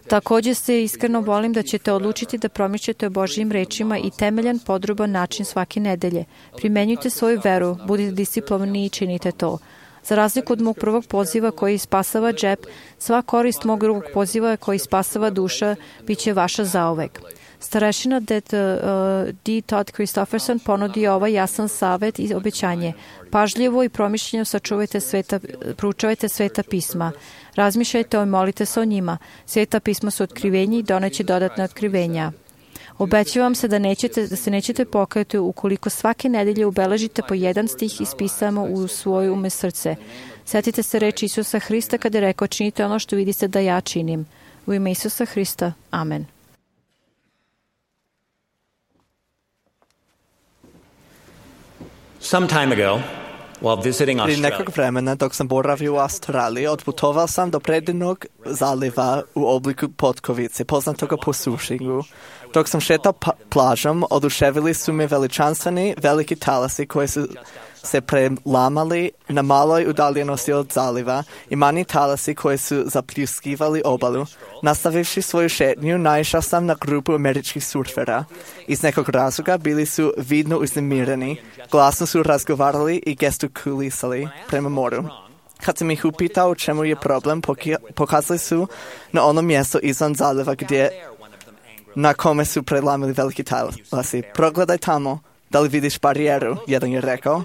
Također se iskreno volim da ćete odlučiti da promišljate o Božjim rečima i temeljan, podroban način svake nedelje. Primenjujte svoju veru, budite disciplinovani i činite to. Za razliku od mog prvog poziva koji spasava džep, sva korist mog drugog poziva koji spasava duša bit će vaša zauvek. Starešina D. Todd Christofferson ponudio ovaj jasan savet i obećanje. Pažljivo i promišljeno sačuvajte sveta, proučavajte sveta pisma. Razmišljajte i molite se o njima. Sveta pisma su otkrivenje i doneće dodatne otkrivenja. Obećavam se da, nećete, da se nećete pokajati ukoliko svake nedelje ubeležite po jedan stih iz pisama u svoje ume srce. Sjetite se reči Isusa Hrista kada je rekao: činite ono što vidite da ja činim. U ime Isusa Hrista. Amen. Some time ago, while visiting Prije Australia, nekog vremena, dok sam boravio u Australiji, otputovao sam do predivnog zaliva u obliku potkovice, poznatoga po sušingu. Dok sam šetao pa- plažom, oduševili su me veličanstveni veliki talasi koji su se prelamali na maloj udaljenosti od zaliva i manji talasi koji su zapljuskivali obalu. Nastavivši svoju šetnju, naišao sam na grupu američkih surfera. Iz nekog razloga bili su vidno uznemireni, glasno su razgovarali i gestikulisali prema moru. Kad sam ih upitao u čemu je problem, pokazali su na ono mjesto izvan zaliva gdje na kome su prelamili veliki talasi. Progledaj tamo, da li vidiš barijeru, jedan je rekao.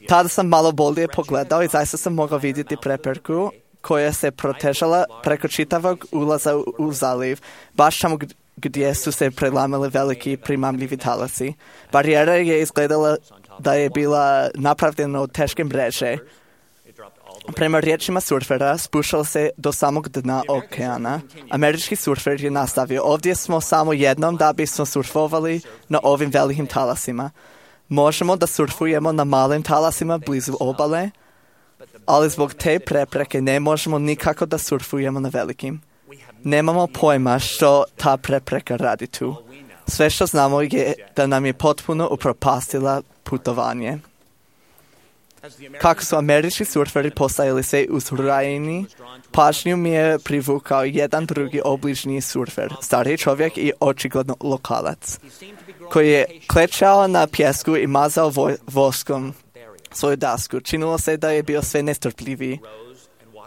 Tada sam malo bolje pogledao i zaista sam mogao vidjeti prepreku koja se protežala preko čitavog ulaza u, u zaliv, baš tamo gdje su se prelamili veliki primamljivi talasi. Barijera je izgledala da je bila napravljena od teške mreže. Prema riječima surfera, spuštala se do samog dna okeana. Američki surfer je nastavio: ovdje smo samo jednom da bismo surfovali na ovim velikim talasima. Možemo da surfujemo na malim talasima blizu obale, ali zbog te prepreke ne možemo nikako da surfujemo na velikim. Nemamo pojma što ta prepreka radi tu. Sve što znamo je da nam je potpuno upropastila putovanje. Kako su američki surferi postajali sve uzrujeni, pažnju mi je privukao jedan drugi obližnji surfer, stariji čovjek i očigledno lokalac, koji je klečao na pjesku i mazao vo- voskom svoju dasku. Činilo se da je bio sve nestrpljiviji.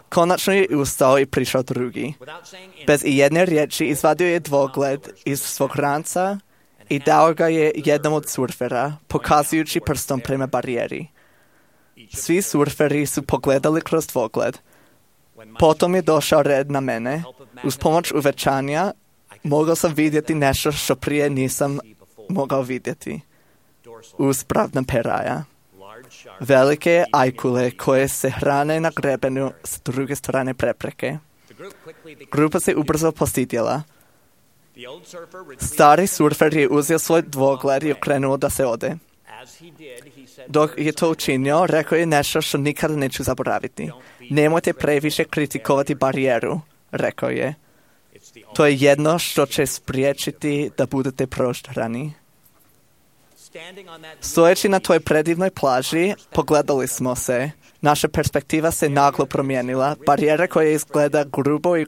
Konačno je ustao i prišao drugi. Bez i jedne riječi izvadio je dvogled iz svog ranca i dao ga je jednom od surfera, pokazujući prstom prema barijeri. Svi surferi su pogledali kroz dvogled. Potom je došao red na mene. Uz pomoć uvećanja mogao sam vidjeti nešto što prije nisam mogao vidjeti. Uspravna peraja. Velike ajkule koje se hrane na grebenu s druge strane prepreke. Grupa se ubrzo postidjela. Stari surfer je uzeo svoj dvogled i okrenuo da se ode. Dok je to učinio, rekao je nešto što nikada neću zaboraviti. Nemojte previše kritikovati barijeru, rekao je. To je jedno što će spriječiti da budete proštrani. Stojeći na toj predivnoj plaži, pogledali smo se. Naša perspektiva se naglo promijenila. Barijera koja izgleda grubo i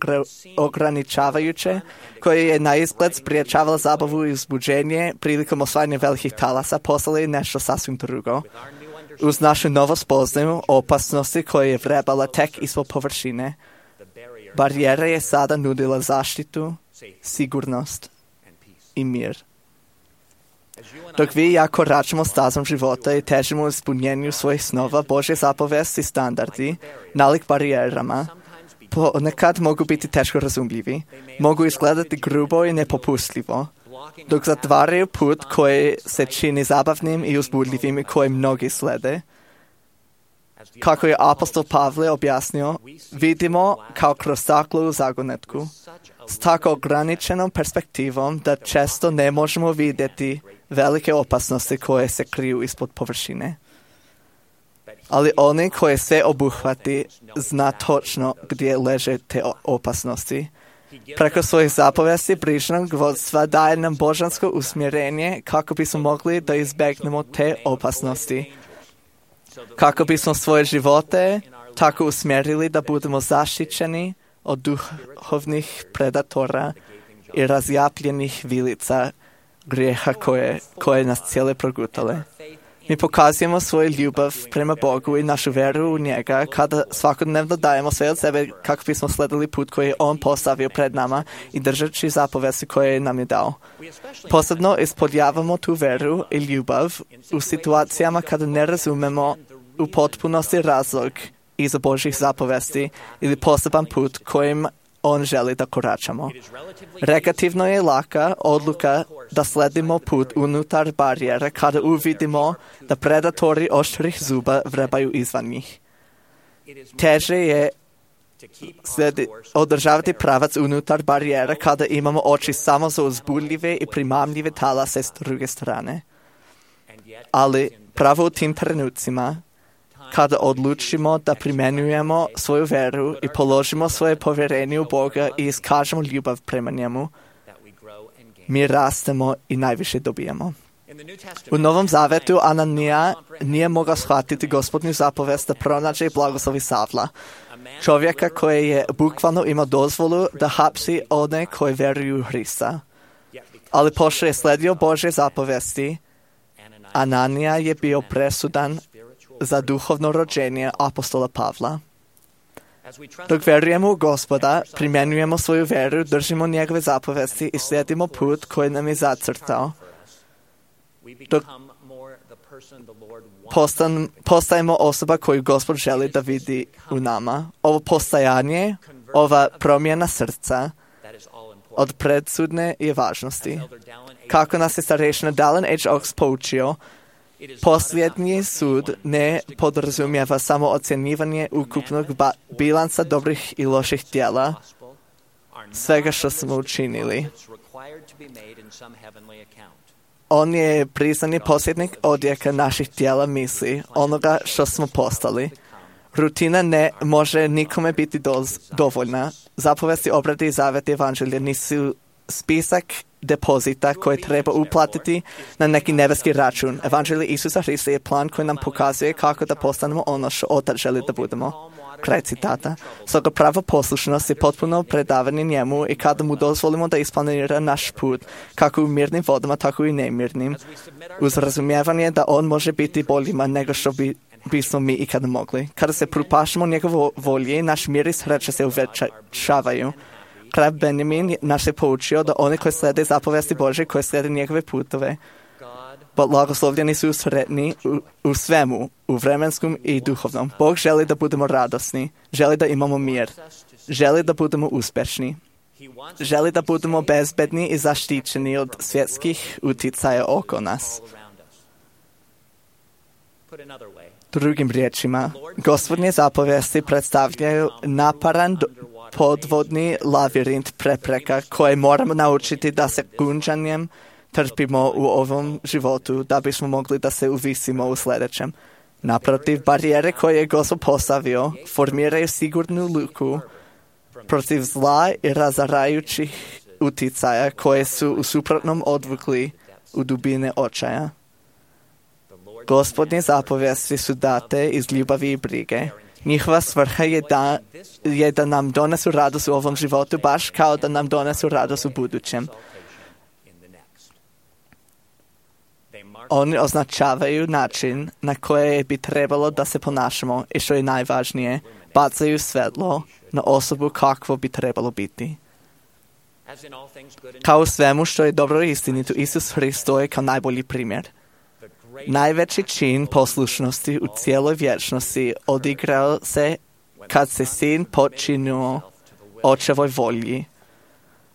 ograničavajuće, koja je na izgled spriječavala zabavu i uzbuđenje prilikom osvajanja velikih talasa, postala je nešto sasvim drugo. Uz našu novu spoznaju opasnosti koje je vrebala tek ispod površine, barijera je sada nudila zaštitu, sigurnost i mir. Dok vi i ja koračamo stazom života i težimo ispunjenju svojih snova, Božje zapovesti i standardi, nalik barijerama, ponekad mogu biti teško razumljivi, mogu izgledati grubo i nepopustljivo, dok zatvaraju put koji se čini zabavnim i uzbudljivim i koji mnogi slede. Kako je apostol Pavle objasnio, vidimo kao kroz staklo u zagonetku, s tako ograničenom perspektivom da često ne možemo vidjeti velike opasnosti koje se kriju ispod površine. Ali oni koji sve obuhvati zna točno gdje leže te opasnosti. Preko svojih zapovesti brižnog vodstva daje nam božansko usmjerenje kako bismo mogli da izbjegnemo te opasnosti. Kako bismo svoje živote tako usmjerili da budemo zaštićeni od duhovnih predatora i razjapljenih vilica grijeha koje, koje nas cijele progutale. Mi pokazujemo svoju ljubav prema Bogu i našu veru u njega kada svakodnevno dajemo sve od sebe kako bismo sledili put koji je On postavio pred nama i držeći zapovesti koje nam je dao. Posebno ispoljavamo tu veru i ljubav u situacijama kada ne razumemo u potpunosti razlog iza Božjih zapovesti ili poseban put kojim On želi da koračamo. Relativno je laka odluka da sledimo put unutar barijera kada uvidimo da predatori oštrih zuba vrebaju izvan njih. Teže je sledi, održavati pravac unutar barijera kada imamo oči samo za uzbudljive i primamljive talase s druge strane. Ali pravo u tim trenucima, kada odlučimo da primjenjujemo svoju veru i položimo svoje povjerenje u Boga i iskažemo ljubav prema njemu, mi rastemo i najviše dobijemo. U Novom Zavetu Ananija nije mogao shvatiti Gospodnju zapovest da pronađe i blagoslovi Savla, čovjeka koji je bukvalno imao dozvolu da hapsi one koji vjeruju u Hrista. Ali pošto je sledio Božje zapovesti, Ananija je bio presudan za duhovno rođenje apostola Pavla. Dok vjerujemo u Gospoda, primjenjujemo svoju veru, držimo njegove zapovesti i slijedimo put koji nam je zacrtao. Dok postan, postajemo osoba koju Gospod želi da vidi u nama. Ovo postajanje, ova promjena srca od predsudne je važnosti. Kako nas je starešina Dallin H. Oaks poučio, posljednji sud ne podrazumijeva samo ocjenjivanje ukupnog ba- bilansa dobrih i loših djela, svega što smo učinili. On je priznani posljednik odjeka naših djela misli, onoga što smo postali. Rutina ne može nikome biti doz- dovoljna. Zapovesti, obrade i zaveti evanđelja nisu spisak depozita koje treba uplatiti na neki nebeski račun. Evanđelje Isusa Hrista je plan koji nam pokazuje kako da postanemo ono što Otac želi da budemo. Kraj citata. Stoga prava poslušnost je potpuno predavanje njemu i kada mu dozvolimo da isplanira naš put, kako u mirnim vodama, tako i nemirnim, uz razumijevanje da on može biti boljima nego što bi bismo mi ikada mogli. Kada se propašamo njegovo volje, naš mir i sreća se uvećavaju. Kralj Benjamin nas je poučio da oni koji slede zapovesti Božje, koji slede njegove putove, blagoslovljeni su sretni u, u svemu, u vremenskom i duhovnom. Bog želi da budemo radosni, želi da imamo mir, želi da budemo uspješni, želi da budemo bezbedni i zaštićeni od svjetskih uticaja oko nas. Drugim riječima, Gospodnje zapovesti predstavljaju naparan podvodni lavirint prepreka koje moramo naučiti da se gunđanjem trpimo u ovom životu da bismo mogli da se uvisimo u sljedećem. Naprotiv, barijere koje je Gospod postavio formiraju sigurnu luku protiv zla i razarajućih uticaja koje su u suprotnom odvukli u dubine očaja. Gospodnje zapovesti su date iz ljubavi i brige. Njihova svrha je da, je da nam donesu radost u ovom životu, baš kao da nam donesu radost u budućem. Oni označavaju način na koje bi trebalo da se ponašamo i što je najvažnije, bacaju svetlo na osobu kakvo bi trebalo biti. Kao u svemu što je dobro i istinito, Isus Hrist je kao najbolji primjer. Najveći čin poslušnosti u cijeloj vječnosti odigrao se kad se sin počinio očevoj volji,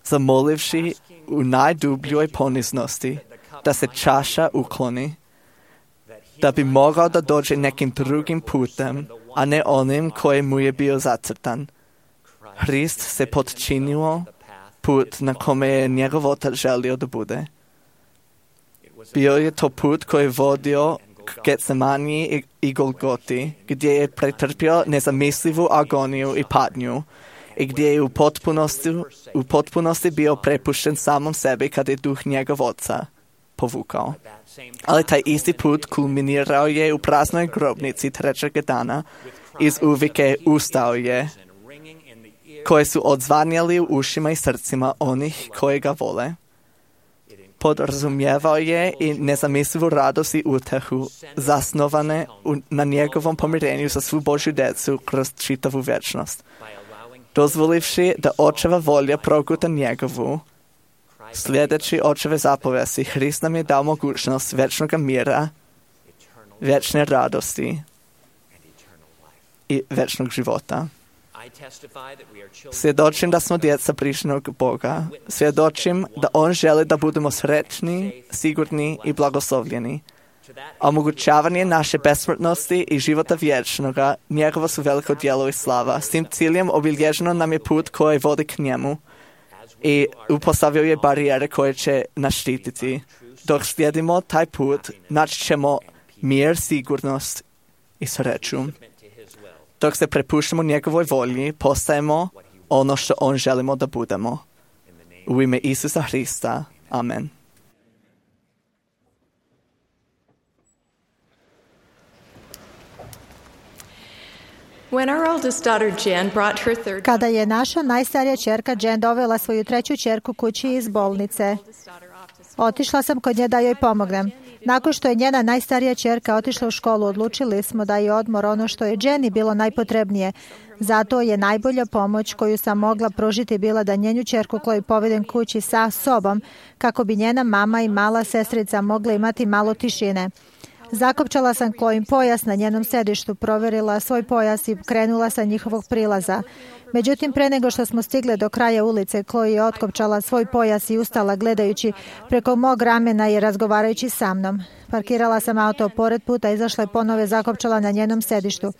zamolivši u najdubljoj poniznosti da se čaša ukloni, da bi mogao da dođe nekim drugim putem, a ne onim koji mu je bio zacrtan. Hrist se potčinio put na kome je njegov otac želio da bude. Bio je to put koji je vodio k Getsemaniji i Golgoti, gdje je pretrpio nezamislivu agoniju i patnju i gdje je u potpunosti, u potpunosti bio prepušten samom sebi kad je duh njegov oca povukao. Ali taj isti put kulminirao je u praznoj grobnici trećeg dana iz uvike ustao je, koje su odzvanjali u ušima i srcima onih koji ga vole. Podrazumijevao je i nezamislivu radost i utehu, zasnovane u, na njegovom pomirenju za svu Božju djecu kroz čitavu vječnost. Dozvolivši da očeva volja proguta njegovu, sljedeći očeve zapovesti, Hrist nam je dao mogućnost vječnog mira, vječne radosti i vječnog života. Svjedočim da smo djeca brižnog Boga. Svjedočim da On želi da budemo srećni, sigurni i blagoslovljeni. Omogućavanje naše besmrtnosti i života vječnoga, njegovo su veliko djelo i slava. S tim ciljem obilježeno nam je put koji vodi k njemu i upostavio je barijere koje će nas štititi. Dok slijedimo taj put, naći ćemo mir, sigurnost i sreću. Dok se prepuštamo njegovoj volji, postajemo ono što on želimo da budemo. U ime Isusa Hrista. Amen. Kada je naša najstarija ćerka Jen dovela svoju treću ćerku kući iz bolnice, otišla sam kod nje da joj pomognem. Nakon što je njena najstarija ćerka otišla u školu, odlučili smo da je odmor ono što je Jenny bilo najpotrebnije. Zato je najbolja pomoć koju sam mogla pružiti bila da njenu ćerku Chloe povedem kući sa sobom, kako bi njena mama i mala sestrica mogla imati malo tišine. Zakopčala sam Chloe pojas na njenom sedištu, provjerila svoj pojas i krenula sa njihovog prilaza. Međutim, pre nego što smo stigli do kraja ulice, Chloe je otkopčala svoj pojas i ustala gledajući preko mog ramena i razgovarajući sa mnom. Parkirala sam auto pored puta, izašla i ponovo je zakopčala na njenom sedištu.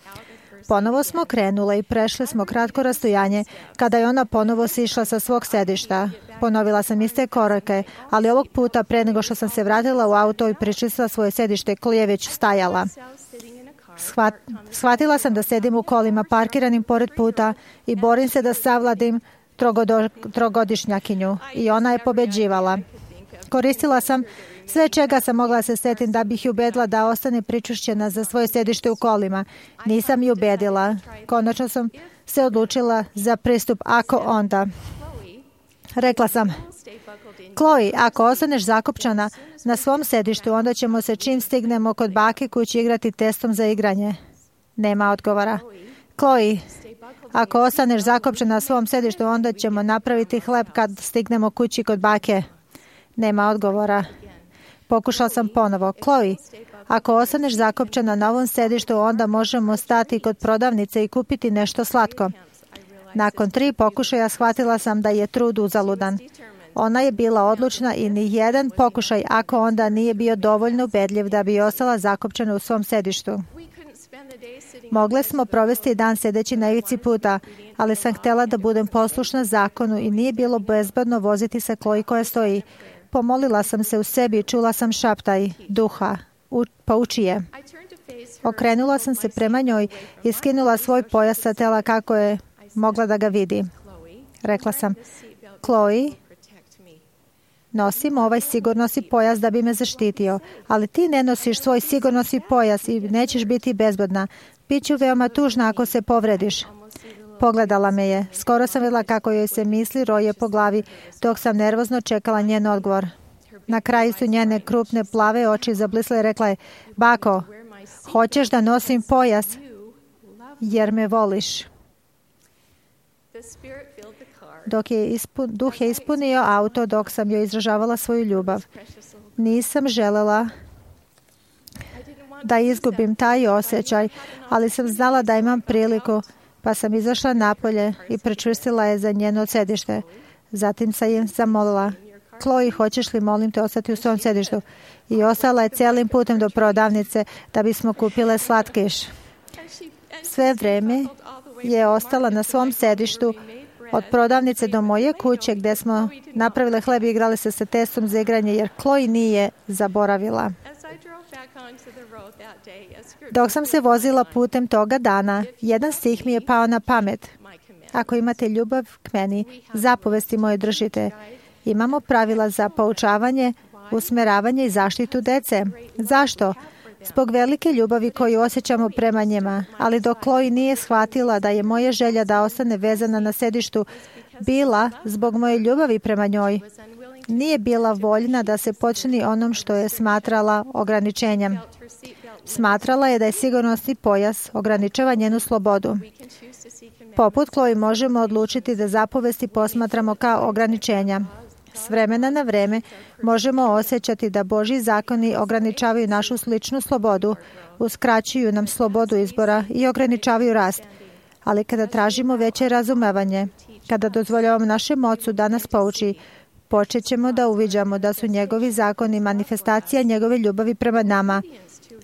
Ponovo smo krenule i prešli smo kratko rastojanje kada je ona ponovo sišla sa svog sedišta. Ponovila sam iste korake, ali ovog puta pre nego što sam se vratila u auto i pričistila svoje sedište, Chloe je već stajala. Shvat, shvatila sam da sedim u kolima parkiranim pored puta i borim se da savladim trogodo, trogodišnjakinju i ona je pobeđivala. Koristila sam sve čega sam mogla se setim da bih ju ubedila da ostane pričušćena za svoje sedište u kolima. Nisam ju ubedila. Konačno sam se odlučila za pristup ako onda. Rekla sam, Chloe, ako ostaneš zakopčana na svom sedištu, onda ćemo se čim stignemo kod bake kući igrati testom za igranje. Nema odgovora. Chloe, ako ostaneš zakopčana na svom sedištu, onda ćemo napraviti hleb kad stignemo kući kod bake. Nema odgovora. Pokušala sam ponovo. Chloe, ako ostaneš zakopčana na ovom sedištu, onda možemo stati kod prodavnice i kupiti nešto slatko. Nakon tri pokušaja shvatila sam da je trud uzaludan. Ona je bila odlučna i ni jedan pokušaj ako onda nije bio dovoljno ubedljiv da bi ostala zakopčana u svom sedištu. Mogli smo provesti dan sedeći na ivici puta, ali sam htjela da budem poslušna zakonu i nije bilo bezbedno voziti se Chloe koja stoji. Pomolila sam se u sebi i čula sam šaptaj duha. U, pouči je. Okrenula sam se prema njoj i skinula svoj pojas sa tela kako je mogla da ga vidi. Rekla sam, Chloe, nosim ovaj sigurnosni pojas da bi me zaštitio, ali ti ne nosiš svoj sigurnosni pojas i nećeš biti bezbedna. Biću veoma tužna ako se povrediš. Pogledala me je. Skoro sam vidjela kako joj se misli roje po glavi, dok sam nervozno čekala njen odgovor. Na kraju su njene krupne plave oči zablisle i rekla je, bako, hoćeš da nosim pojas jer me voliš. Dok je ispun, duh je ispunio auto dok sam joj izražavala svoju ljubav. Nisam želela da izgubim taj osjećaj, ali sam znala da imam priliku, pa sam izašla napolje i prečvrstila je za njeno sedište. Zatim sam je zamolila, Chloe, hoćeš li, molim te, ostati u svom sedištu? I ostala je cijelim putem do prodavnice da bismo kupile slatkiš. Sve vrijeme je ostala na svom sedištu od prodavnice do moje kuće gdje smo napravile hleb i igrali se sa testom za igranje, jer Chloe nije zaboravila. Dok sam se vozila putem toga dana, jedan stih mi je pao na pamet. Ako imate ljubav k meni, zapovesti moje držite. Imamo pravila za poučavanje, usmeravanje i zaštitu dece. Zašto? Zbog velike ljubavi koju osjećamo prema njima, ali dok Chloe nije shvatila da je moja želja da ostane vezana na sedištu bila zbog moje ljubavi prema njoj, nije bila voljna da se počini onom što je smatrala ograničenjem. Smatrala je da je sigurnosni pojas ograničava njenu slobodu. Poput Chloe možemo odlučiti da zapovesti posmatramo kao ograničenja. S vremena na vreme možemo osjećati da Božji zakoni ograničavaju našu sličnu slobodu, uskraćuju nam slobodu izbora i ograničavaju rast. Ali kada tražimo veće razumevanje, kada dozvoljavamo našem Ocu da nas pouči, počet ćemo da uviđamo da su njegovi zakoni manifestacija njegove ljubavi prema nama,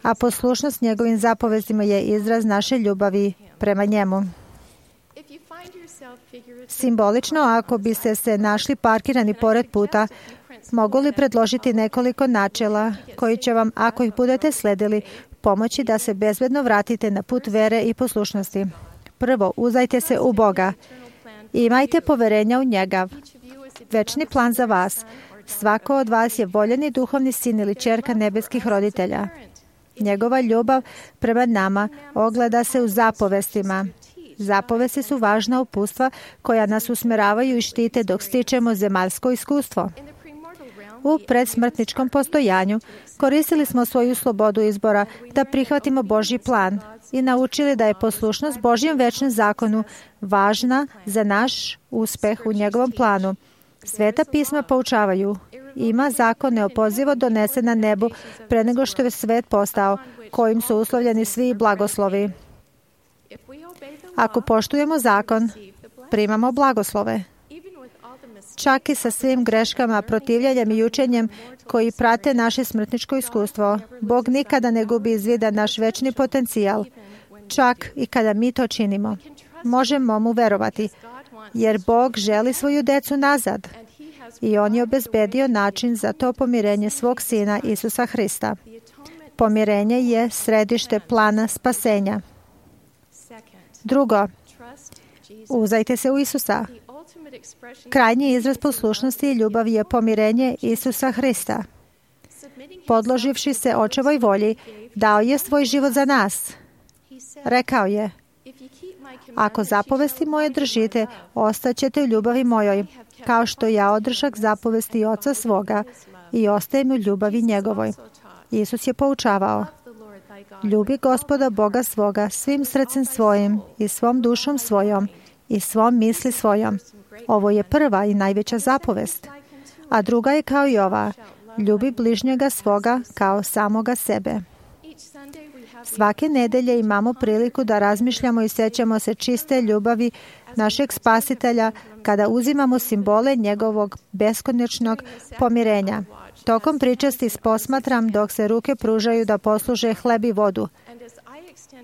a poslušnost njegovim zapovestima je izraz naše ljubavi prema njemu. Simbolično, ako biste se našli parkirani pored puta, mogu li predložiti nekoliko načela koji će vam, ako ih budete sledili, pomoći da se bezbedno vratite na put vere i poslušnosti. Prvo, uzdajte se u Boga. Imajte poverenja u njega. Večni plan za vas. Svako od vas je voljeni duhovni sin ili ćerka nebeskih roditelja. Njegova ljubav prema nama ogleda se u zapovestima. Zapovesti su važna upustva koja nas usmeravaju i štite dok stičemo zemaljsko iskustvo. U predsmrtničkom postojanju koristili smo svoju slobodu izbora da prihvatimo Božji plan i naučili da je poslušnost Božjem večnom zakonu važna za naš uspeh u njegovom planu. Sveta pisma poučavaju, ima zakon neopozivo donesen na nebu pre nego što je svet postao, kojim su uslovljeni svi blagoslovi. Ako poštujemo zakon, primamo blagoslove. Čak i sa svim greškama, protivljanjem i učenjem koji prate naše smrtničko iskustvo, Bog nikada ne gubi iz vida naš večni potencijal, čak i kada mi to činimo. Možemo mu verovati, jer Bog želi svoju decu nazad i On je obezbedio način za to pomirenje svog Sina Isusa Hrista. Pomirenje je središte plana spasenja. Drugo, uzdajte se u Isusa. Krajnji izraz poslušnosti i ljubavi je pomirenje Isusa Hrista. Podloživši se Očevoj volji, dao je svoj život za nas. Rekao je, ako zapovesti moje držite, ostaćete u ljubavi mojoj, kao što ja održak zapovesti Oca svoga i ostajem u ljubavi njegovoj. Isus je poučavao, ljubi Gospoda Boga svoga svim srcem svojim i svom dušom svojom i svom misli svojom. Ovo je prva i najveća zapovest. A druga je kao i ova, ljubi bližnjega svoga kao samoga sebe. Svake nedelje imamo priliku da razmišljamo i sećamo se čiste ljubavi našeg Spasitelja kada uzimamo simbole njegovog beskonačnog pomirenja. Tokom pričasti posmatram dok se ruke pružaju da posluže hleb i vodu.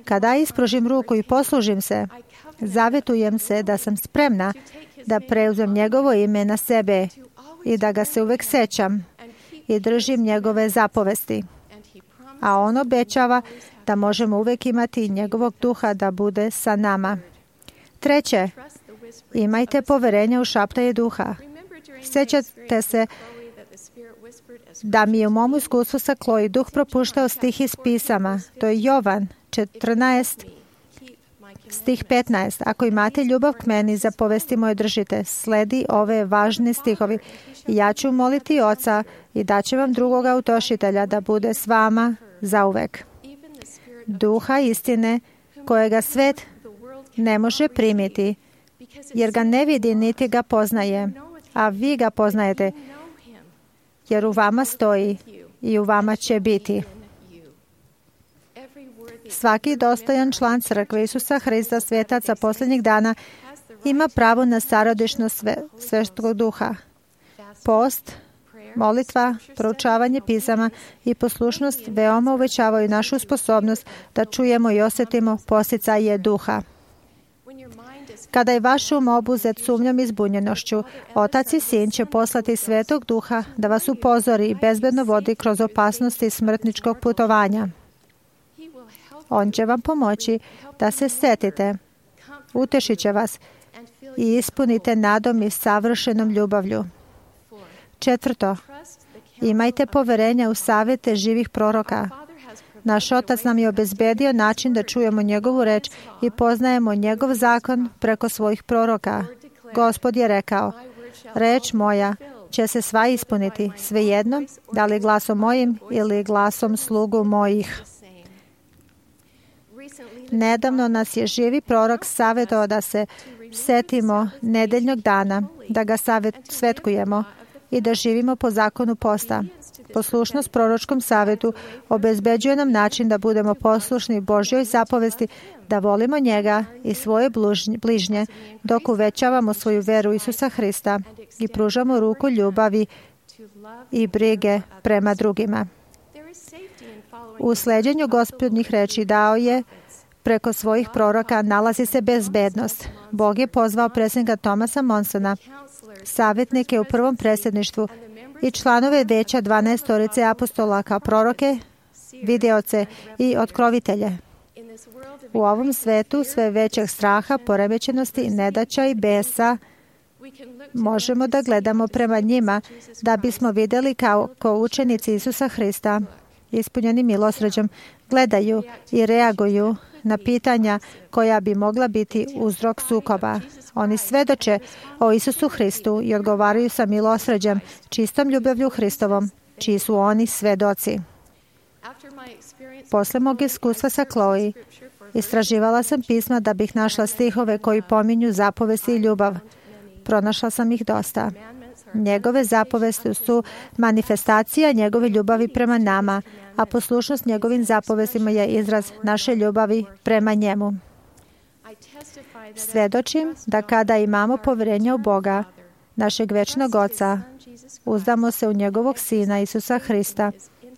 Kada ispružim ruku i poslužim se, zavetujem se da sam spremna da preuzem njegovo ime na sebe i da ga se uvek sećam i držim njegove zapovesti. A on obećava da možemo uvek imati njegovog duha da bude sa nama. Treće, imajte poverenja u šaptaje duha. Sećate se da mi je u mom iskustvu sa Chloe duh propuštao stih iz pisama. To je Jovan četrnaest Stih petnaest. Ako imate ljubav k meni, zapovesti moje držite. Sledi ove važni stihovi. Ja ću moliti Oca i daće vam drugoga utošitelja da bude s vama zauvek. Duha istine kojega svet ne može primiti, jer ga ne vidi niti ga poznaje, a vi ga poznajete, jer u vama stoji i u vama će biti. Svaki dostojan član crkve Isusa Hrista, svetaca posljednjih dana, ima pravo na starodišnost sve, Svetog Duha. Post, molitva, proučavanje pisama i poslušnost veoma uvećavaju našu sposobnost da čujemo i osjetimo posticaje duha. Kada je vaš um obuzet sumnjom i zbunjenošću, Otac i Sin će poslati Svetog Duha da vas upozori i bezbedno vodi kroz opasnosti smrtničkog putovanja. On će vam pomoći da se setite, utešit će vas i ispunite nadom i savršenom ljubavlju. Četvrto, imajte poverenja u savjete živih proroka. Naš Otac nam je obezbedio način da čujemo njegovu reč i poznajemo njegov zakon preko svojih proroka. Gospod je rekao, reč moja će se sva ispuniti, svejedno, da li glasom mojim ili glasom slugu mojih. Nedavno nas je živi prorok savjetovao da se setimo nedeljnog dana, da ga savjet, svetkujemo i da živimo po zakonu posta. Poslušnost proročkom savjetu obezbeđuje nam način da budemo poslušni Božjoj zapovesti, da volimo njega i svoje bližnje, dok uvećavamo svoju veru Isusa Hrista i pružamo ruku ljubavi i brige prema drugima. U sleđenju Gospodnjih reči dao je preko svojih proroka nalazi se bezbednost. Bog je pozvao predsjednika Thomasa Monsona, savjetnike u prvom predsjedništvu i članove veća dvanaestorice apostola kao proroke, videoce i otkrovitelje. U ovom svetu sve većeg straha, poremećenosti, nedaća i besa možemo da gledamo prema njima da bismo vidjeli kao, kao učenici Isusa Hrista, ispunjeni milosrđem, gledaju i reaguju na pitanja koja bi mogla biti uzrok sukoba. Oni svedoče o Isusu Hristu i odgovaraju sa milosrđem, čistom ljubavlju Hristovom, čiji su oni svedoci. Posle mog iskustva sa Chloe, istraživala sam pisma da bih našla stihove koji pominju zapovesti i ljubav. Pronašla sam ih dosta. Njegove zapovesti su manifestacija njegove ljubavi prema nama, a poslušnost njegovim zapovestima je izraz naše ljubavi prema njemu. Svedočim da kada imamo poverenje u Boga, našeg večnog Oca, uzdamo se u njegovog Sina Isusa Hrista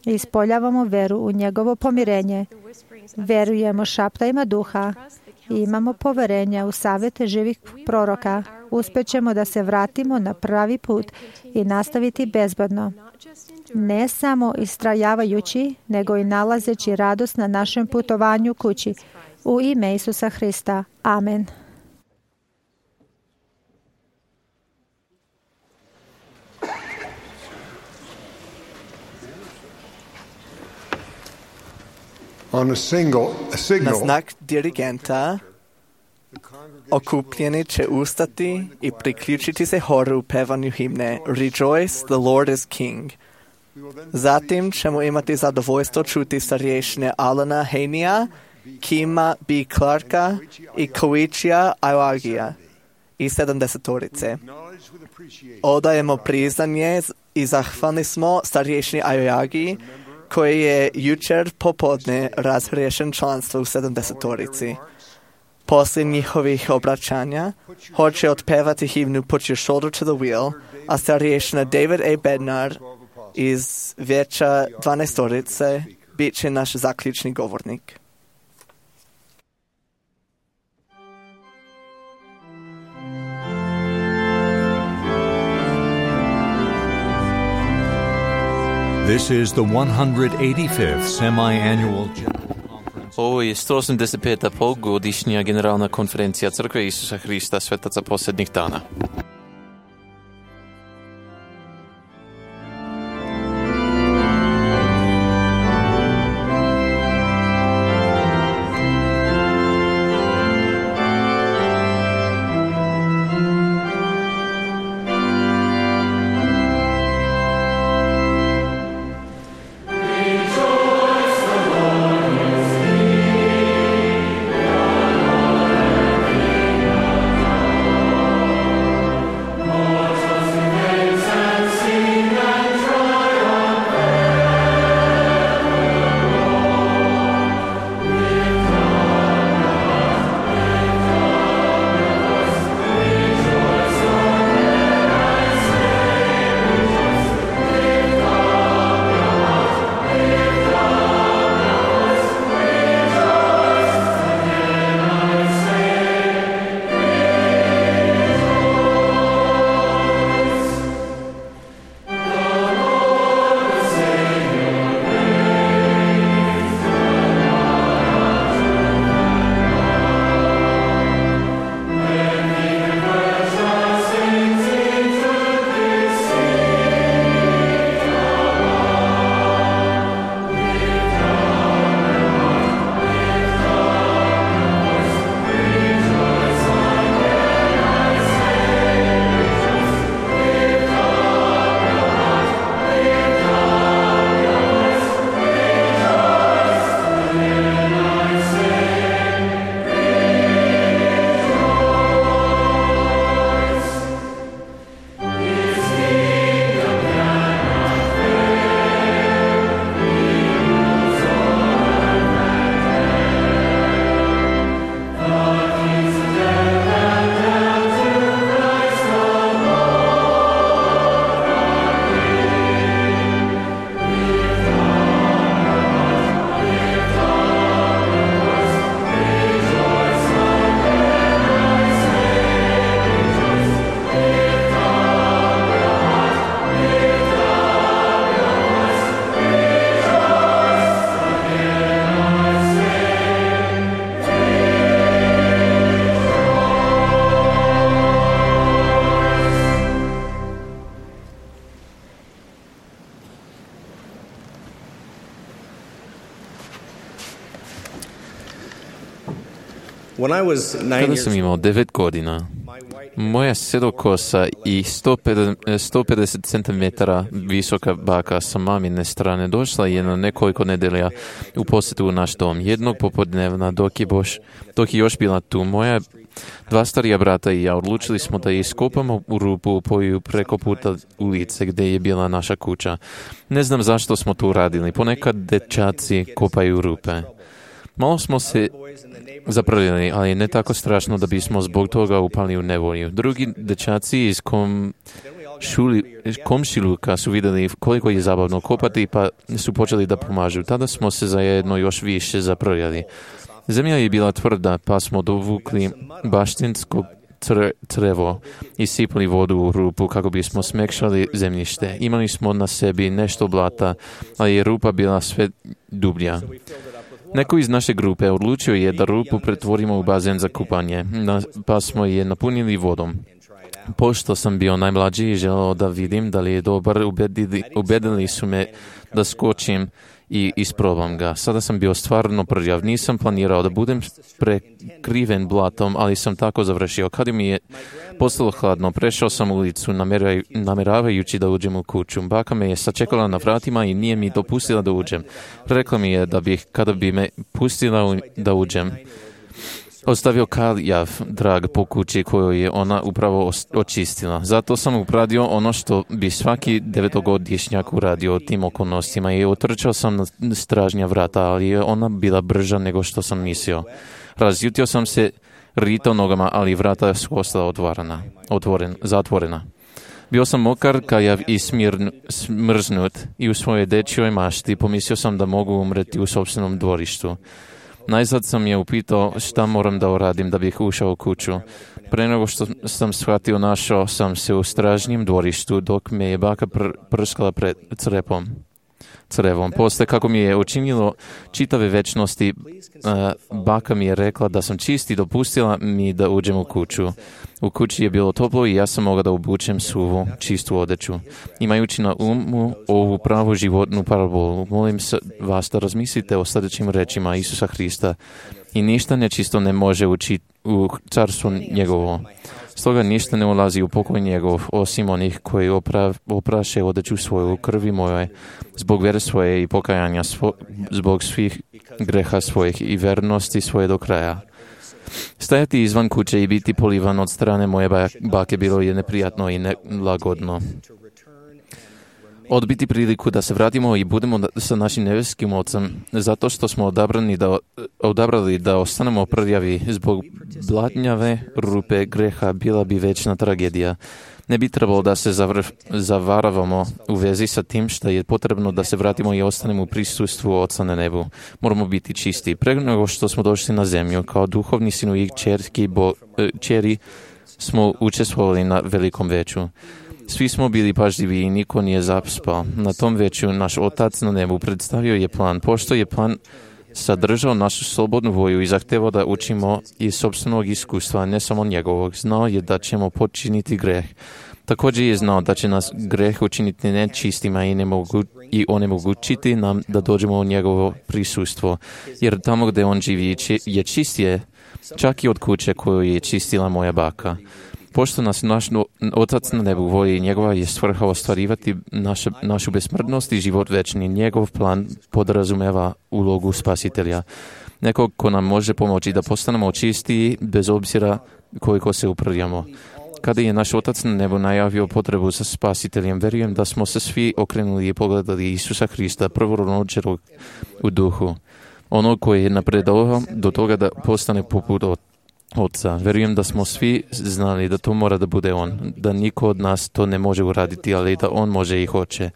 i ispoljavamo veru u njegovo pomirenje. Verujemo šaptajima duha i imamo poverenja u savjete živih proroka. Uspećemo da se vratimo na pravi put i nastaviti bezbedno. Ne samo istrajavajući, nego i nalazeći radost na našem putovanju kući. U ime Isusa Hrista. Amen. On a single, a signal, Na znak dirigenta okupljeni će ustati i priključiti se horu u pevanju himne Rejoice, the Lord is King. Zatim ćemo imati zadovoljstvo čuti starješine Alana Henija, Kima B. Clarka i Koichija Aoagija i sedamdesetorice. Odajemo priznanje i zahvalni smo starješini Aoagiji, koji je jučer popodne razriješen članstvo u sedamdesetorici. Poslije njihovih obraćanja hoće otpevati himnu Put Your Shoulder to the Wheel, a starješina David A. Bednar iz vijeća dvanaestorice bit će naš zaključni govornik. This is the one hundred eighty-fifth semi-annual General Conference. Ovo je sto osamdeset peta polugodišnja generalna konferencija Crkve Isusa Hrista, svetaca posljednjih dana. Kada sam imao devet godina, moja sedokosa i sto pedeset centimetara visoka baka sa mamine strane došla je na nekoliko nedelja u posjetu u naš dom. Jednog popodnevna, dok je, boš, dok je još bila tu, moja dva starija brata i ja odlučili smo da iskopamo u rupu u poju preko puta ulice gdje je bila naša kuća. Ne znam zašto smo to uradili. Ponekad dečaci kopaju rupe. Malo smo se zaprljali, ali ne tako strašno da bismo zbog toga upali u nevolju. Drugi dečaci iz kom šuli, komšiluka su vidjeli koliko je zabavno kopati, pa su počeli da pomažu. Tada smo se zajedno još više zaprljali. Zemlja je bila tvrda, pa smo dovukli baštinsko crevo i sipali vodu u rupu kako bismo smekšali zemljište. Imali smo na sebi nešto blata, ali je rupa bila sve dublja. Neko iz naše grupe odlučio je da rupu pretvorimo u bazen za kupanje, pa smo je napunili vodom. Pošto sam bio najmlađi i želeo da vidim da li je dobar, ubedili, ubedili su me da skočim i isprobam ga. Sada sam bio stvarno prljav. Nisam planirao da budem prekriven blatom, ali sam tako završio. Kad mi je postalo hladno, prešao sam ulicu nameravajući da uđem u kuću. Baka me je sačekala na vratima i nije mi dopustila da uđem. Rekla mi je da bih, kada bi me pustila da uđem, ostavio kaljav drag po kući koju je ona upravo očistila. Zato sam upradio ono što bi svaki devetogodišnjak uradio u tim okolnostima i otrčao sam na stražnja vrata, ali je ona bila brža nego što sam mislio. Razljutio sam se, ritao nogama, ali vrata su ostala otvorena, otvoren, zatvorena. Bio sam mokar, kaljav i smirn, smrznut i u svojoj dečjoj mašti pomislio sam da mogu umreti u sopstvenom dvorištu. Najzad sam je upitao šta moram da uradim da bih ušao u kuću. Pre nego što sam shvatio, našao sam se u stražnjem dvorištu dok me je baka pr- prskala pred crepom. Crevom. Posle kako mi je učinilo čitave večnosti, uh, baka mi je rekla da sam čist i dopustila mi da uđem u kuću. U kući je bilo toplo i ja sam mogao da obučem suvu, čistu odeću. Imajući na umu ovu pravu životnu parabolu, molim vas da razmislite o sljedećim rečima Isusa Hrista. I ništa nečisto ne može ući u carstvo njegovo. Stoga ništa ne ulazi u pokoj njegov, osim onih koji opra, opraše odeću svoju krvi moje, zbog vere svoje i pokajanja svo, zbog svih greha svojih i vernosti svoje do kraja. Stajati izvan kuće i biti polivan od strane moje bake bilo je neprijatno i nelagodno. Odbiti priliku da se vratimo i budemo sa našim nebeskim Ocem, zato što smo odabrani da, odabrali da ostanemo prljavi zbog blatnjave rupe greha, bila bi večna tragedija. Ne bi trebalo da se zavr, zavaravamo u vezi sa tim što je potrebno da se vratimo i ostanemo u prisustvu Oca na nebu. Moramo biti čisti. Pre nego što smo došli na zemlju, kao duhovni sinu i čerki, bo, čeri, smo učestvovali na velikom veću. Svi smo bili pažljivi i niko nije zaspao. Na tom veću naš Otac na nebu predstavio je plan. Pošto je plan sadržao našu slobodnu volju i zahtevao da učimo iz sopstvenog iskustva, ne samo njegovog, znao je da ćemo počiniti greh. Također je znao da će nas greh učiniti nečistima i, nemogu, i onemogućiti nam da dođemo u njegovo prisustvo. Jer tamo gdje on živi je čistije, čak i od kuće koju je čistila moja baka. Pošto nas naš Otac na nebu voli, njegova je svrha ostvarivati naša, našu besmrtnost i život večni. Njegov plan podrazumeva ulogu spasitelja. Nekog ko nam može pomoći da postanemo čistiji bez obzira koliko se uprljamo. Kada je naš Otac na nebu najavio potrebu za spasiteljem, verujem da smo se svi okrenuli i pogledali Isusa Hrista, prvorođenog u duhu. Ono koji je napredovao do toga da postane poput Oca. Verujem da smo svi znali da to mora da bude on, da niko od nas to ne može uraditi, ali da on može i hoće.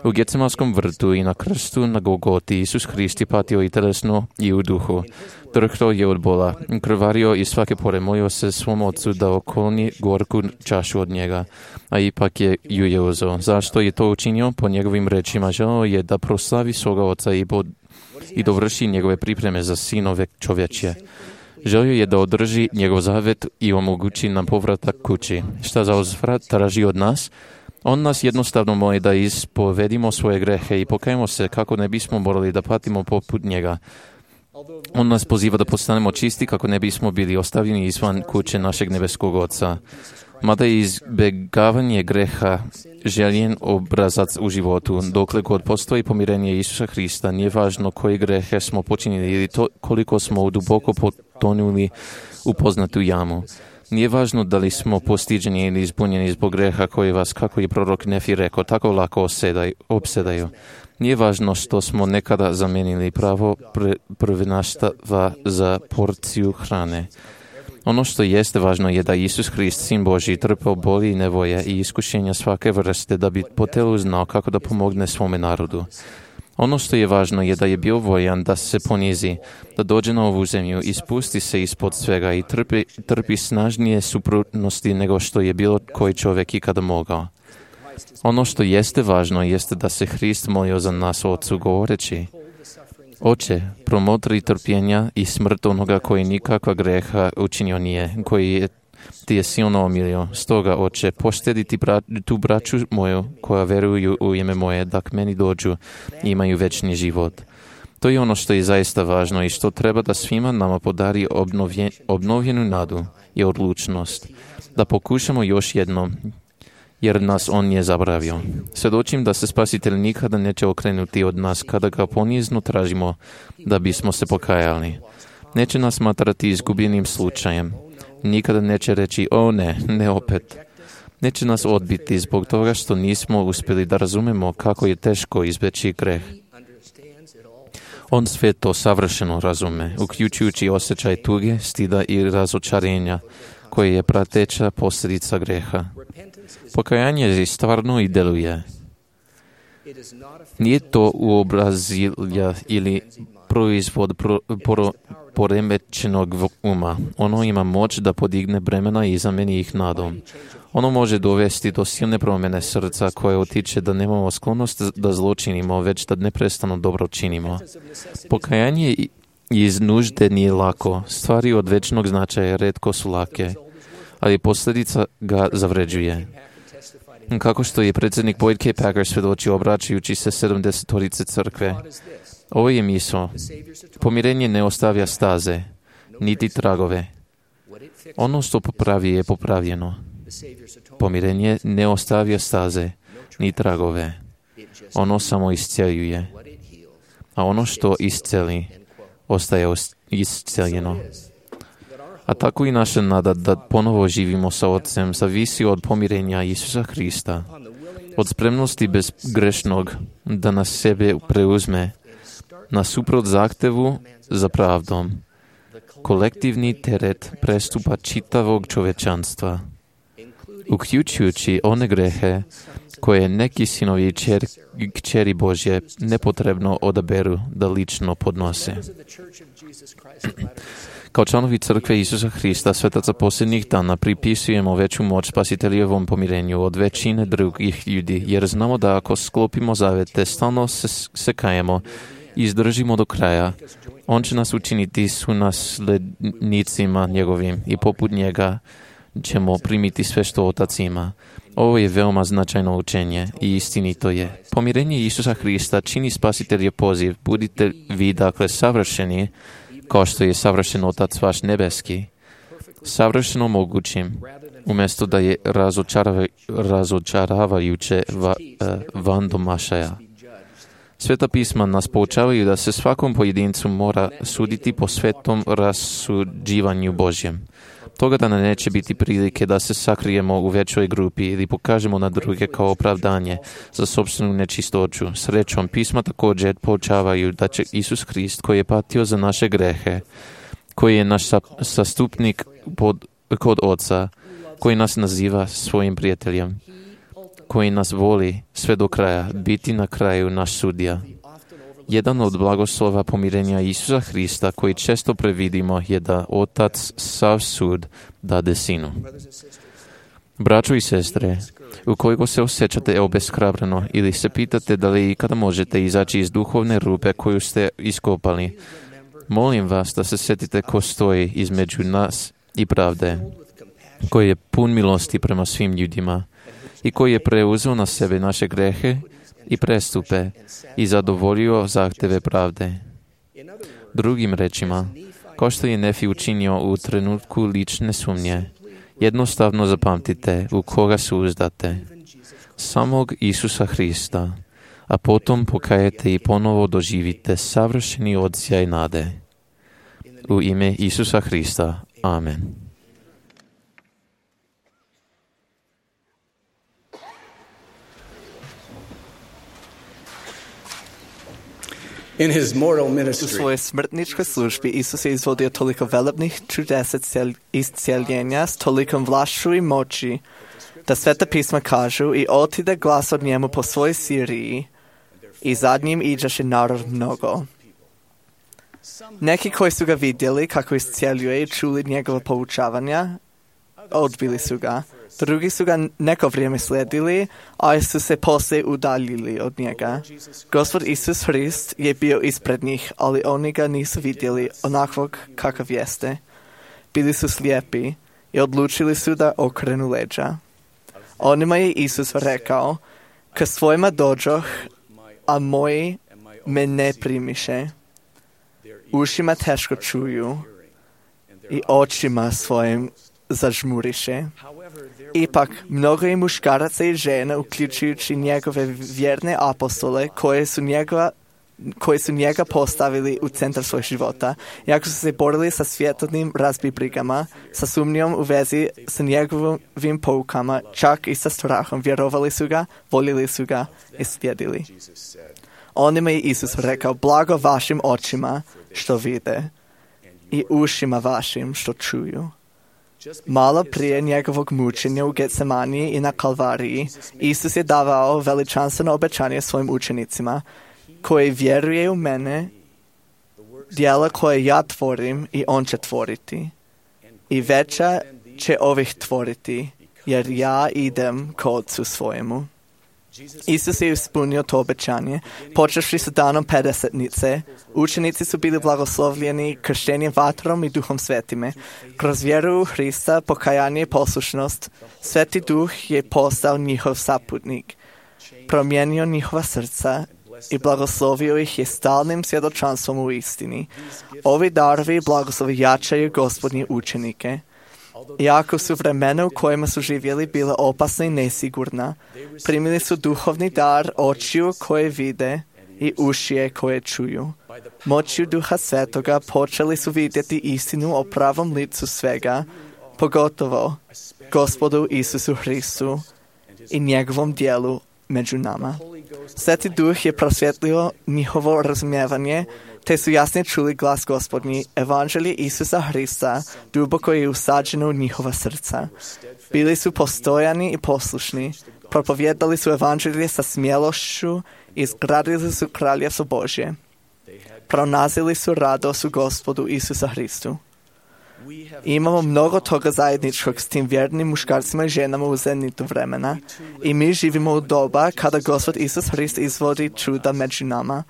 U Getsemanskom vrtu i na krstu na Golgoti Isus Hrist je patio i telesno i u duhu. Drhtao je od bola, krvario i svake pore molio se svom Ocu da okolni gorku čašu od njega, a ipak je ju je uzeo. Zašto je to učinio? Po njegovim rečima želeo je da proslavi svoga Oca i, bod, i dovrši njegove pripreme za sinove čovječje. Želio je da održi njegov zavet i omogući nam povratak kući. Šta za uzvrat traži od nas? On nas jednostavno moli da ispovedimo svoje grehe i pokajemo se kako ne bismo morali da patimo poput njega. On nas poziva da postanemo čisti kako ne bismo bili ostavljeni izvan kuće našeg nebeskog Oca. Mada je izbjegavanje greha željen obrazac u životu, dokle god postoji pomirenje Isusa Hrista, nije važno koji grehe smo počinili ili to koliko smo duboko potonuli u poznatu jamu. Nije važno da li smo postiđeni ili izbunjeni zbog greha koji vas, kako je prorok Nefi rekao, tako lako opsedaju. Nije važno što smo nekada zamenili pravo pr- prvenstva za porciju hrane. Ono što jeste važno je da Isus Hrist, Sin Božji, trpeo boli i nevoje i iskušenja svake vrste da bi po telu znao kako da pomogne svome narodu. Ono što je važno je da je bio voljan da se ponizi, da dođe na ovu zemlju i spusti se ispod svega i trpi, trpi snažnije suprotnosti nego što je bilo koji čovjek ikada mogao. Ono što jeste važno jeste da se Hrist molio za nas Ocu govoreći: Oče, promotri trpljenja i smrt onoga koji nikakva greha učinio nije, koji je, ti je silno omilio. Stoga, Oče, poštedi ti bra, tu braću moju koja veruju u ime moje, da k meni dođu i imaju večni život. To je ono što je zaista važno i što treba da svima nama podari obnovjen, obnovljenu nadu i odlučnost. Da pokušamo još jednom, jer nas on nije zaboravio. Svjedočim da se Spasitelj nikada neće okrenuti od nas kada ga ponizno tražimo da bismo se pokajali. Neće nas smatrati izgubljenim slučajem. Nikada neće reći: o ne, ne opet. Neće nas odbiti zbog toga što nismo uspjeli da razumemo kako je teško izbjeći greh. On sve to savršeno razume, uključujući osjećaj tuge, stida i razočarenja, koje je prateća posljedica greha. Pokajanje je stvarno i deluje. Nije to uobrazilja ili proizvod pro, pro, poremećenog uma. Ono ima moć da podigne bremena i zameni ih nadom. Ono može dovesti do silne promjene srca koje utiče da nemamo sklonost da zločinimo, već da neprestano dobro činimo. Pokajanje iz nužde nije lako. Stvari od večnog značaja retko su lake, ali posljedica ga zavređuje. Kako što je predsjednik Boyd K. Packer svjedočio obraćajući se sedamdesetorice crkve. Ovo je misao. Pomirenje ne ostavlja staze, niti tragove. Ono što popravi je popravljeno. Pomirenje ne ostavlja staze, ni tragove. Ono samo isceljuje. A ono što isceli, ostaje isceljeno. A tako i naša nada da ponovo živimo sa Otcem zavisi od pomirenja Isusa Hrista, od spremnosti bezgrešnog da nas sebe preuzme, nasuprot zahtevu za pravdom, kolektivni teret prestupa čitavog čovečanstva, uključujući one grehe koje neki sinovi i kćeri Božje nepotrebno odaberu da lično podnose. Kao članovi crkve Isusa Hrista, svetaca posljednjih dana, pripisujemo veću moć Spasiteljevom pomirenju od većine drugih ljudi, jer znamo da ako sklopimo zavete, stalno se, se kajemo i izdržimo do kraja, on će nas učiniti sunaslednicima njegovim i poput njega ćemo primiti sve što Otac ima. Ovo je veoma značajno učenje i istinito je. Pomirenje Isusa Hrista čini Spasiteljev poziv: budite vi dakle savršeni, kao što je savršen Otac vaš nebeski, savršeno mogućim, umjesto da je razočarava, razočaravajuće va, uh, van domašaja. Sveta pisma nas poučavaju da se svakom pojedincu mora suditi po svetom rasuđivanju Božjem. Toga da neće biti prilike da se sakrijemo u većoj grupi ili pokažemo na druge kao opravdanje za sopstvenu nečistoću. Srećom, pisma također poučavaju da će Isus Hrist, koji je patio za naše grehe, koji je naš sastupnik pod, kod Oca, koji nas naziva svojim prijateljem, koji nas voli sve do kraja, biti na kraju naš sudija. Jedan od blagoslova pomirenja Isusa Hrista koji često previdimo je da Otac sav sud dade Sinu. Braćo i sestre, ukoliko se osjećate obeshrabreno ili se pitate da li ikada možete izaći iz duhovne rupe koju ste iskopali, molim vas da se sjetite ko stoji između nas i pravde, koji je pun milosti prema svim ljudima i koji je preuzeo na sebe naše grehe i prestupe i zadovoljio zahteve pravde. Drugim rečima, kao što je Nefi učinio u trenutku lične sumnje, jednostavno zapamtite u koga se uzdate, samog Isusa Hrista, a potom pokajete i ponovo doživite savršeni odsjaj nade. U ime Isusa Hrista. Amen. In his mortal U ministry, svojoj smrtničkoj službi Isus je izvodio toliko velebnih čudesa iscijeljenja s tolikom vlašću i moći, da Sveta pisma kažu i otide glas od njemu po svojoj Siriji i zadnjim iđaše narod mnogo. Neki koji su ga vidjeli kako iscijeljuje i čuli njegova poučavanja, odbili su ga. Drugi su ga neko vrijeme slijedili, a su se poslije udaljili od njega. Gospod Isus Hrist je bio ispred njih, ali oni ga nisu vidjeli onakvog kakav jeste. Bili su slijepi i odlučili su da okrenu leđa. Onima je Isus rekao, k svojima dođoh, a moji me ne primiše. Ušima teško čuju i očima svojim zažmuriše. Ipak, mnogo je muškaraca i žena, uključujući njegove vjerne apostole, koje su njega, koji su njega postavili u centar svojeg života, iako su se borili sa svjetovnim razbibrigama, sa sumnjom u vezi sa njegovim poukama, čak i sa strahom, vjerovali su ga, voljeli su ga i slijedili. Onima je Isus rekao, blago vašim očima što vide i ušima vašim što čuju. Malo prije njegovog mučenja u Getsemaniji i na Kalvariji, Isus je davao veličanstveno obećanje svojim učenicima, koji vjeruje u mene, djela koje ja tvorim i on će tvoriti. I veća će ovih tvoriti, jer ja idem k Otcu svojemu. Isus je ispunio to obećanje. Počevši sa danom pedesetnice, učenici su bili blagoslovljeni krštenjem vatrom i Duhom Svetime. Kroz vjeru u Hrista, pokajanje i poslušnost, Sveti Duh je postao njihov saputnik, promijenio njihova srca i blagoslovio ih je stalnim svjedočanstvom u istini. Ovi darovi i blagoslovi jačaju Gospodnje učenike. Iako su vremena u kojima su živjeli bila opasna i nesigurna, primili su duhovni dar očiju koje vide i ušije koje čuju. Moću Duha Svetoga počeli su vidjeti istinu o pravom licu svega, pogotovo Gospodu Isusu Hristu i njegovom dijelu među nama. Sveti Duh je prosvjetlio njihovo razumijevanje, te su jasnije čuli glas Gospodnji. Evanđelje Isusa Hrista duboko je usađeno u njihova srca. Bili su postojani i poslušni, propovjedali su evanđelje sa smjelošću i izgradili su kraljevstvo Božje. Pronazili su radost u Gospodu Isusa Hristu. Imamo mnogo toga zajedničkog s tim vjernim muškarcima i ženama u zenitu vremena i mi živimo u doba kada Gospod Isus Hrist izvodi čuda među nama,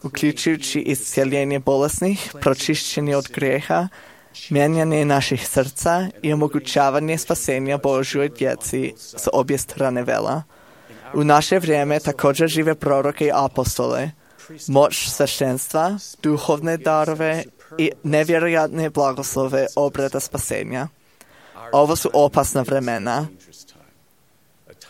uključujući iscijeljenje bolesnih, pročišćenje od grijeha, mijenjanje naših srca i omogućavanje spasenja Božjoj djeci s obje strane vela. U naše vrijeme također žive proroke i apostole, moć sveštenstva, duhovne darove i nevjerojatne blagoslove obreda spasenja. Ovo su opasna vremena,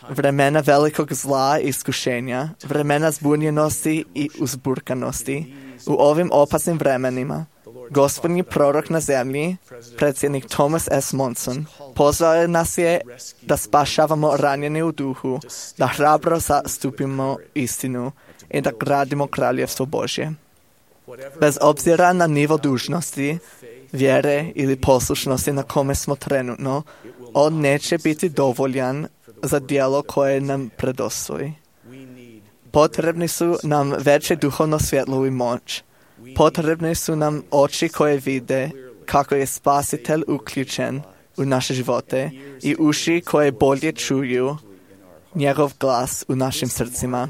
vremena velikog zla i iskušenja, vremena zbunjenosti i uzburkanosti. U ovim opasnim vremenima, Gospodnji prorok na zemlji, predsjednik Thomas S. Monson, pozvao nas je da spašavamo ranjene u duhu, da hrabro zastupimo istinu i da gradimo kraljevstvo Božje. Bez obzira na nivo dužnosti, vjere ili poslušnosti na kome smo trenutno, on neće biti dovoljan za djelo koje nam predostoji. Potrebni su nam veće duhovno svjetlo i moć. Potrebne su nam oči koje vide kako je Spasitelj uključen u naše živote i uši koje bolje čuju njegov glas u našim srcima.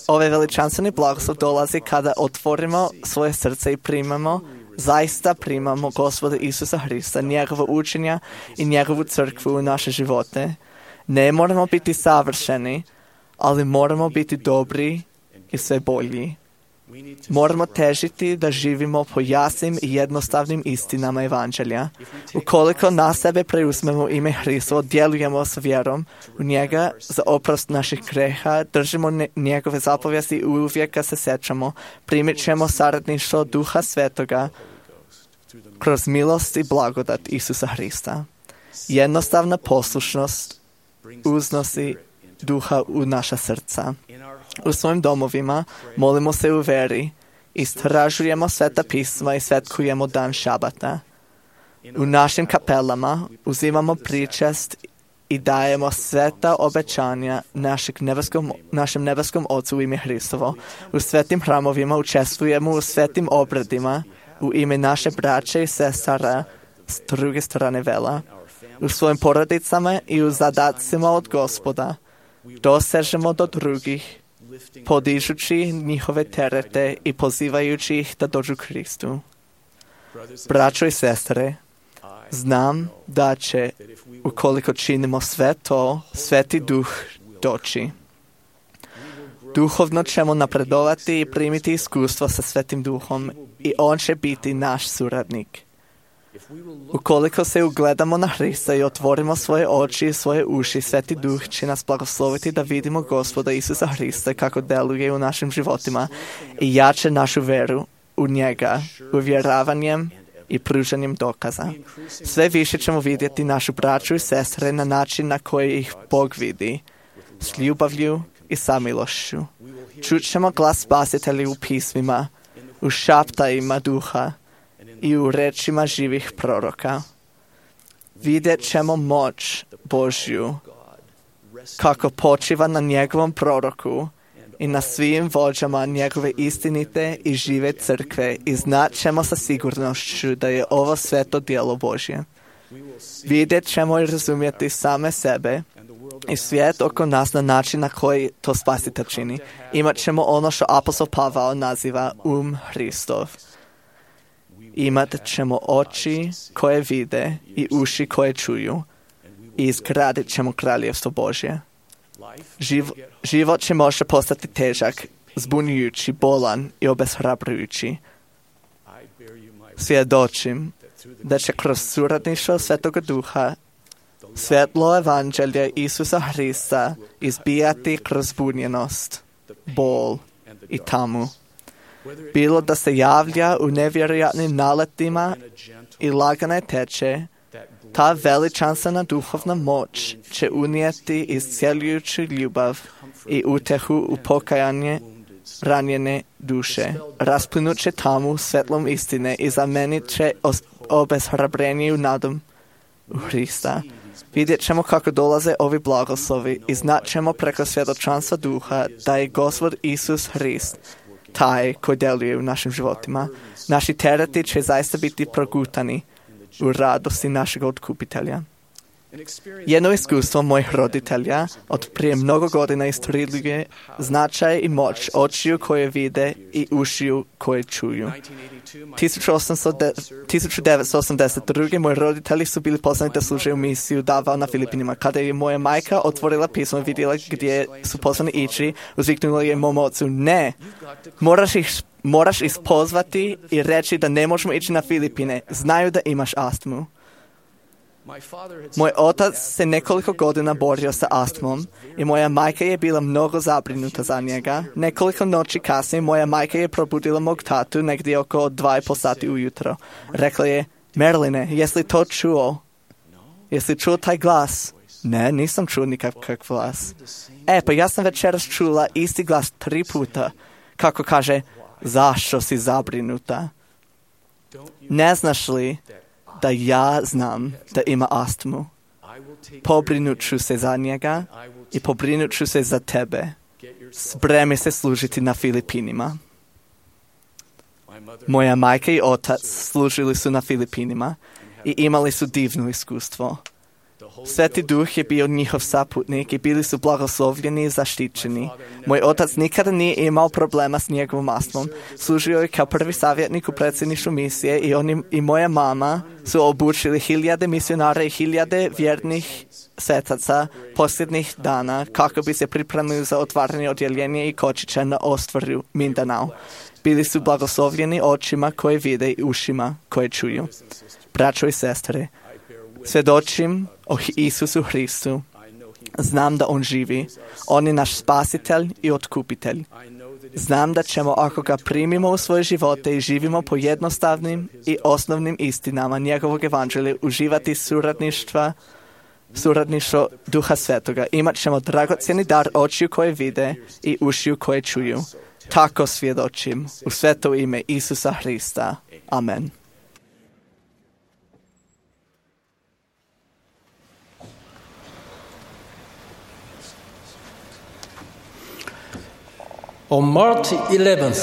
Ovaj veličanstveni blagoslov dolazi kada otvorimo svoje srce i primamo, zaista primamo Gospoda Isusa Hrista, njegovo učenja i njegovu crkvu u naše živote. Ne moramo biti savršeni, ali moramo biti dobri i sve bolji. Moramo težiti da živimo po jasnim i jednostavnim istinama Evanđelja. Ukoliko na sebe preuzmemo ime Hristovo, djelujemo s vjerom u njega za oprost naših greha, držimo ne, njegove zapovijesti i uvijek ga se sjećamo, primit ćemo saradništvo Duha Svetoga kroz milost i blagodat Isusa Hrista. Jednostavna poslušnost uznosi Duha u naša srca. U svojim domovima molimo se u veri, istražujemo sveta pisma i svetkujemo dan šabata. U našim kapelama uzimamo pričest i dajemo sveta obećanja našeg nebeskom, našem nebeskom Ocu u ime Hristovo. U svetim hramovima učestvujemo u svetim obredima u ime naše braće i sestara s druge strane vela. U svojim porodicama i u zadacima od Gospoda dosežemo do drugih, podižući njihove terete i pozivajući ih da dođu Kristu. Braćo i sestre, znam da će, ukoliko činimo sve to, Sveti Duh doći. Duhovno ćemo napredovati i primiti iskustvo sa Svetim Duhom i On će biti naš suradnik. Ukoliko se ugledamo na Hrista i otvorimo svoje oči i svoje uši, Sveti Duh će nas blagosloviti da vidimo Gospoda Isusa Hrista kako deluje u našim životima i jače našu veru u njega, uvjeravanjem i pružanjem dokaza. Sve više ćemo vidjeti našu braću i sestre na način na koji ih Bog vidi, s ljubavlju i samilošću. Čut ćemo glas Spasitelja u pismima, u šaptajima Duha i u rečima živih proroka. Vidjet ćemo moć Božju kako počiva na njegovom proroku i na svim vođama njegove istinite i žive crkve i znat ćemo sa sigurnošću da je ovo sveto djelo Božje. Vidjet ćemo i razumjeti same sebe i svijet oko nas na način na koji to Spasitelj čini. Imat ćemo ono što apostol Pavao naziva um Hristov. Imat ćemo oči koje vide i uši koje čuju i izgradit ćemo kraljevstvo Božje. Živ, život će može postati težak, zbunjujući, bolan i obeshrabrujući. Svjedočim da će kroz suradništvo Svetoga Duha svjetlo Evanđelja Isusa Hrista izbijati kroz zbunjenost, bol i tamu. Bilo da se javlja u nevjerojatnim naletima i lagane teče, ta veličanstvena duhovna moć će unijeti iscjeljujuću ljubav i utehu u pokajanje ranjene duše. Rasplinut će tamu svetlom istine i zamenit će obeshrabreniju nadom u Hrista. Vidjet ćemo kako dolaze ovi blagoslovi i znat ćemo preko svjedočanstva Duha da je Gospod Isus Hrist taj koji djeluje u našim životima. Naši tereti će zaista biti progutani u radosti našeg otkupitelja. Jedno iskustvo mojih roditelja od prije mnogo godina istoriluje značaj i moć očiju koje vide i ušiju koje čuju. tisuću devetsto osamdeset druge moji roditelji su bili poslani da služe u misiju Davao na Filipinima. Kada je moja majka otvorila pismo i vidjela gdje su poslani ići, uzviknula je mom ocu: ne, moraš ih moraš ispozvati i reći da ne možemo ići na Filipine. Znaju da imaš astmu. Moj otac se nekoliko godina borio sa astmom i moja majka je bila mnogo zabrinuta za njega. Nekoliko noći kasnije moja majka je probudila mog tatu negdje oko dva i pol sati ujutro. Rekla je: Merline, jesi li to čuo? Jesi li čuo taj glas? Ne, nisam čuo nikakav glas. E, pa ja sam večeras čula isti glas tri puta. Kako kaže: zašto si zabrinuta? Ne znaš li da ja znam da ima astmu? Pobrinut ću se za njega i pobrinut ću se za tebe. Spremi se služiti na Filipinima. Moja majka i otac služili su na Filipinima i imali su divno iskustvo. Sveti Duh je bio njihov saputnik i bili su blagoslovljeni i zaštićeni. Moj otac nikada nije imao problema s njegovom astmom. Služio je kao prvi savjetnik u predsjedništvu misije i on i moja mama su obučili hiljade misionara i hiljade vjernih svetaca posljednjih dana kako bi se pripremili za otvaranje odjeljenja i kočića na ostvaru Mindanao. Bili su blagoslovljeni očima koje vide i ušima koje čuju. Braćo i sestre, svjedočim o Isusu Hristu. Znam da On živi. On je naš spasitelj i otkupitelj. Znam da ćemo, ako ga primimo u svoje živote i živimo po jednostavnim i osnovnim istinama njegovog evanđelja, uživati suradništva, suradništvo Duha Svetoga. Imat ćemo dragocjeni dar očiju koje vide i ušiju koje čuju. Tako svjedočim u sveto ime Isusa Hrista. Amen. On March eleventh,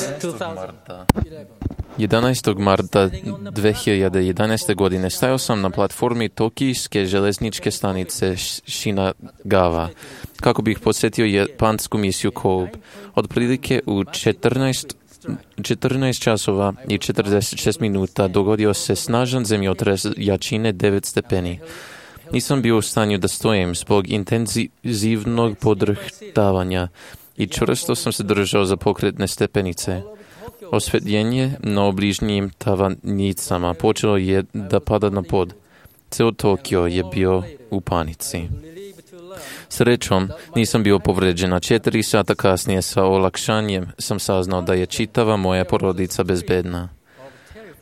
jedanaestog marta dve hiljade jedanaeste. godine stajao sam na platformi Tokijske željezničke stanice Shinagawa kako bih posjetio japansku misiju Kobe. Otprilike u četrnaest, četrnaest časova i četrdeset šest minuta dogodio se snažan zemljotres jačine devet stepeni. Nisam bio u stanju da stojim zbog intenzivnog podrhtavanja i čvrsto sam se držao za pokretne stepenice. Osvjetljenje na obližnjim tavanicama počelo je da pada na pod. Ceo Tokio je bio u panici. Srećom, nisam bio povređen, a četiri sata kasnije sa olakšanjem sam saznao da je čitava moja porodica bezbedna.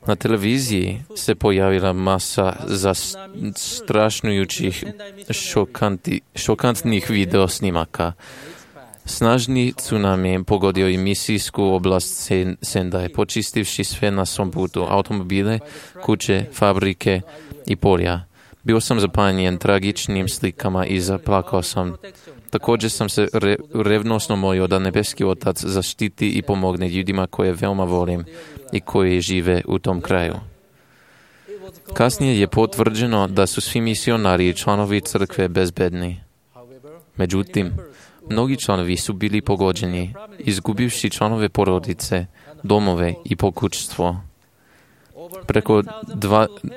Na televiziji se pojavila masa zastrašujućih šokanti, šokantnih video snimaka. Snažni tsunami pogodio i misijsku oblast Sendai, počistivši sve na svom putu, automobile, kuće, fabrike i polja. Bio sam zapanjen tragičnim slikama i zaplakao sam. Također sam se re, revnosno molio da nebeski Otac zaštiti i pomogne ljudima koje veoma volim i koji žive u tom kraju. Kasnije je potvrđeno da su svi misionari i članovi crkve bezbedni. Međutim, mnogi članovi su bili pogođeni, izgubivši članove porodice, domove i pokućstvo. Preko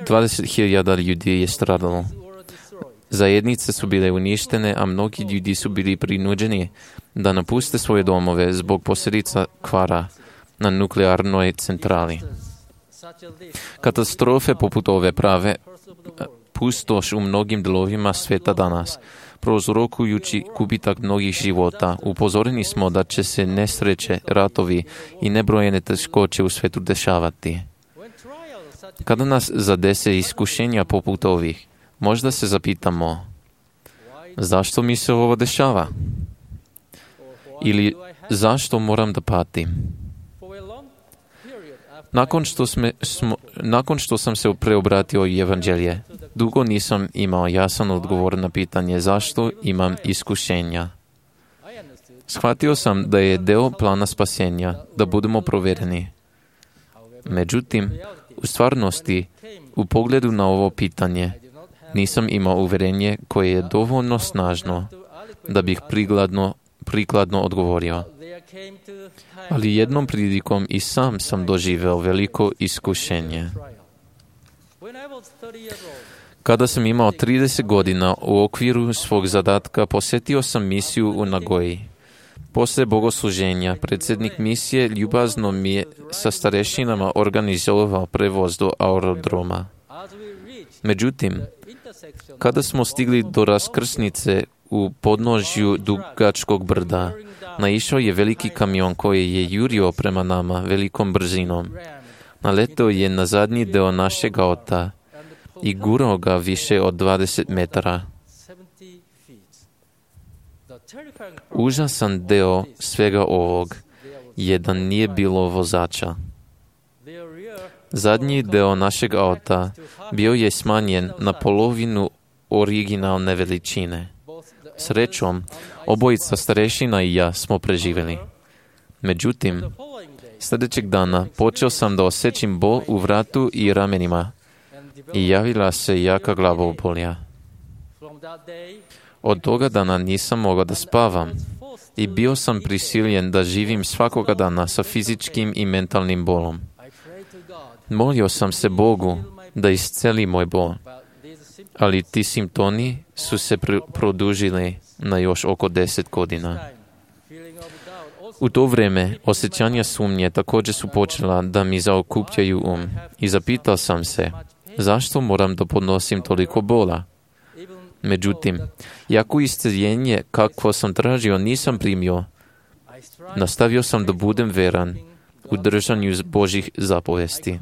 dvadeset hiljada ljudi je stradalo. Zajednice su bile uništene, a mnogi ljudi su bili prinuđeni da napuste svoje domove zbog posljedica kvara na nuklearnoj centrali. Katastrofe poput ove prave pustoš u mnogim delovima sveta danas, prouzrokujući gubitak mnogih života. Upozoreni smo da će se nesreće, ratovi i nebrojene teškoće u svetu dešavati. Kada nas zadese iskušenja poput ovih, možda se zapitamo, zašto mi se ovo dešava? Ili zašto moram da patim? Nakon što, sme, smo, nakon što sam se preobratio u evanđelje, dugo nisam imao jasan odgovor na pitanje zašto imam iskušenja. Shvatio sam da je deo plana spasenja da budemo provereni. Međutim, u stvarnosti, u pogledu na ovo pitanje, nisam imao uverenje koje je dovoljno snažno da bih prikladno, prikladno odgovorio. Ali jednom prilikom i sam sam doživeo veliko iskušenje. Kada sam imao trideset godina, u okviru svog zadatka posjetio sam misiju u Nagoji. Poslije bogosluženja, predsjednik misije ljubazno mi je sa starešinama organizovao prevoz do aerodroma. Međutim, kada smo stigli do raskrsnice u podnožju dugačkog brda, naišao je veliki kamion koji je jurio prema nama velikom brzinom. Naleteo je na zadnji deo našeg auta i gurao ga više od dvadeset metara. Užasan deo svega ovog je da nije bilo vozača. Zadnji deo našeg auta bio je smanjen na polovinu originalne veličine. Srećom, obojica starešina i ja smo preživjeli. Međutim, sljedećeg dana počeo sam da osjećam bol u vratu i ramenima i javila se jaka glavobolja. Od toga dana nisam mogao da spavam i bio sam prisiljen da živim svakoga dana sa fizičkim i mentalnim bolom. Molio sam se Bogu da isceli moj bol, ali ti simptomi su se pr- produžili na još oko deset godina. U to vrijeme osjećanja sumnje također su počela da mi zaokupljaju um i zapitao sam se zašto moram da podnosim toliko bola. Međutim, jako isceljenje kakvo sam tražio nisam primio, nastavio sam da budem veran u držanju Božih zapovesti.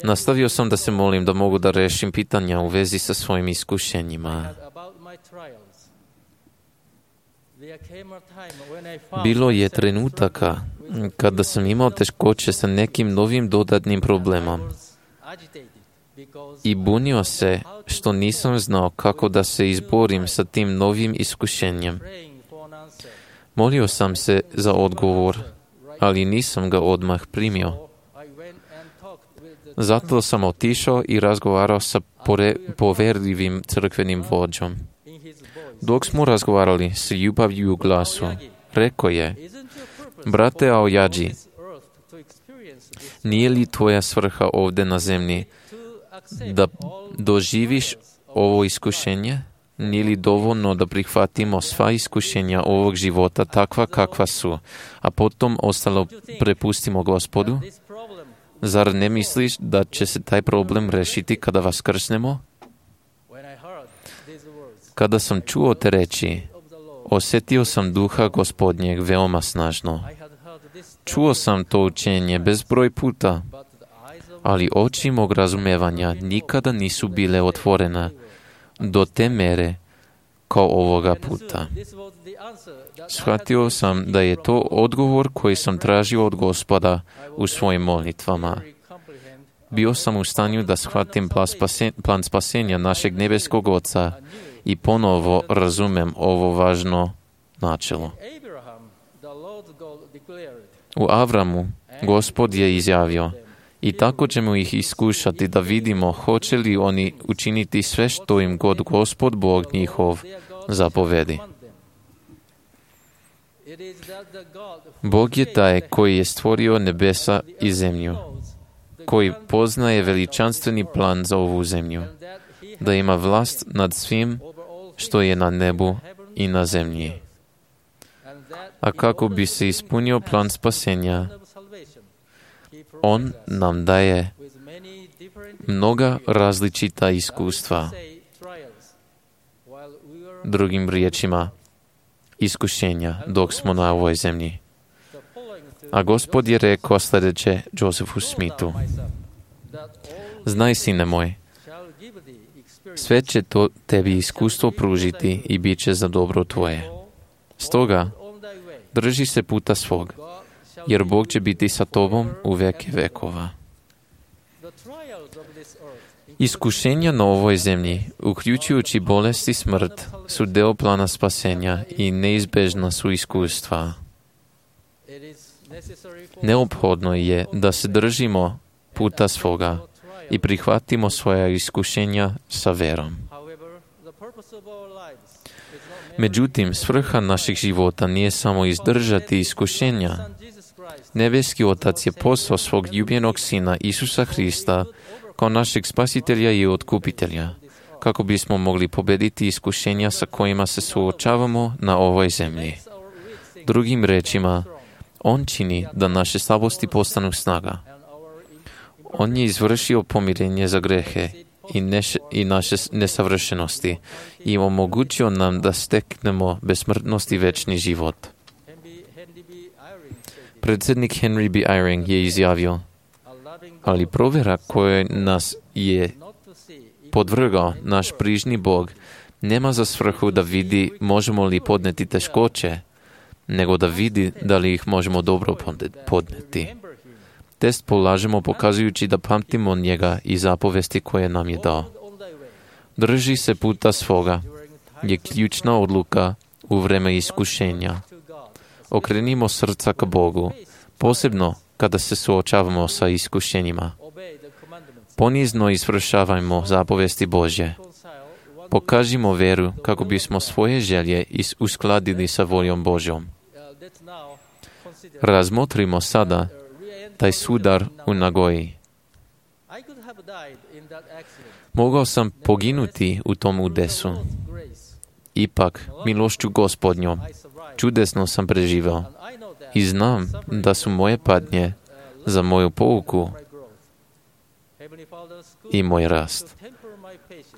Nastavio sam da se molim da mogu da rešim pitanja u vezi sa svojim iskušenjima. Bilo je trenutaka kada sam imao teškoće sa nekim novim dodatnim problemom i bunio se što nisam znao kako da se izborim sa tim novim iskušenjem. Molio sam se za odgovor, ali nisam ga odmah primio. Zato sam otišao i razgovarao sa pore, poverljivim crkvenim vođom. Dok smo razgovarali s ljubavlju u glasu, rekao je: brate Aoyaji, nije li tvoja svrha ovdje na zemlji da doživiš ovo iskušenje? Nije li dovoljno da prihvatimo sva iskušenja ovog života takva kakva su, a potom ostalo prepustimo Gospodu? Zar ne misliš da će se taj problem rešiti kada vas krsnemo? Kada sam čuo te reči, osjetio sam duha Gospodnjeg veoma snažno. Čuo sam to učenje bezbroj puta, ali oči mog razumevanja nikada nisu bile otvorene do te mere kao ovoga puta. Shvatio sam da je to odgovor koji sam tražio od Gospoda u svojim molitvama. Bio sam u stanju da shvatim plan spasenja našeg nebeskog Oca i ponovo razumem ovo važno načelo. U Avramu Gospod je izjavio: i tako ćemo ih iskušati da vidimo hoće li oni učiniti sve što im god Gospod Bog njihov zapovedi. Bog je taj koji je stvorio nebesa i zemlju, koji poznaje veličanstveni plan za ovu zemlju, da ima vlast nad svim što je na nebu i na zemlji. A kako bi se ispunio plan spasenja, On nam daje mnoga različita iskustva. Drugim riječima, iskušenja dok smo na ovoj zemlji. A Gospod je rekao sljedeće Josephu Smithu: znaj, sine moj, sve će to tebi iskustvo pružiti i bit će za dobro tvoje. Stoga, drži se puta svog, jer Bog će biti sa tobom u veke vekova. Iskušenja na ovoj zemlji, uključujući bolest i smrt, su deo plana spasenja i neizbežna su iskustva. Neophodno je da se držimo puta svoga i prihvatimo svoja iskušenja sa verom. Međutim, svrha naših života nije samo izdržati iskušenja. Nebeski Otac je poslao svog ljubljenog Sina Isusa Hrista kao našeg spasitelja i otkupitelja, kako bismo mogli pobediti iskušenja sa kojima se suočavamo na ovoj zemlji. Drugim rečima, On čini da naše slabosti postanu snaga. On je izvršio pomirenje za grehe i, neš, i naše nesavršenosti i omogućio nam da steknemo besmrtnost i večni život. Predsjednik Henry B. Eyring je izjavio: ali provjera koja nas je podvrgao naš brižni Bog nema za svrhu da vidi možemo li podneti teškoće, nego da vidi da li ih možemo dobro podneti. Test polažemo pokazujući da pamtimo njega i zapovesti koje nam je dao. Drži se puta svoga je ključna odluka u vreme iskušenja. Okrenimo srca ka Bogu, posebno kada se suočavamo sa iskušenjima. Ponizno izvršavajmo zapovesti Božje. Pokažimo veru kako bismo svoje želje uskladili sa voljom Božjom. Razmotrimo sada taj sudar u Nagoji. Mogao sam poginuti u tom udesu. Ipak, milošću Gospodnjom, čudesno sam preživao. I znam da su moje patnje za moju pouku i moj rast.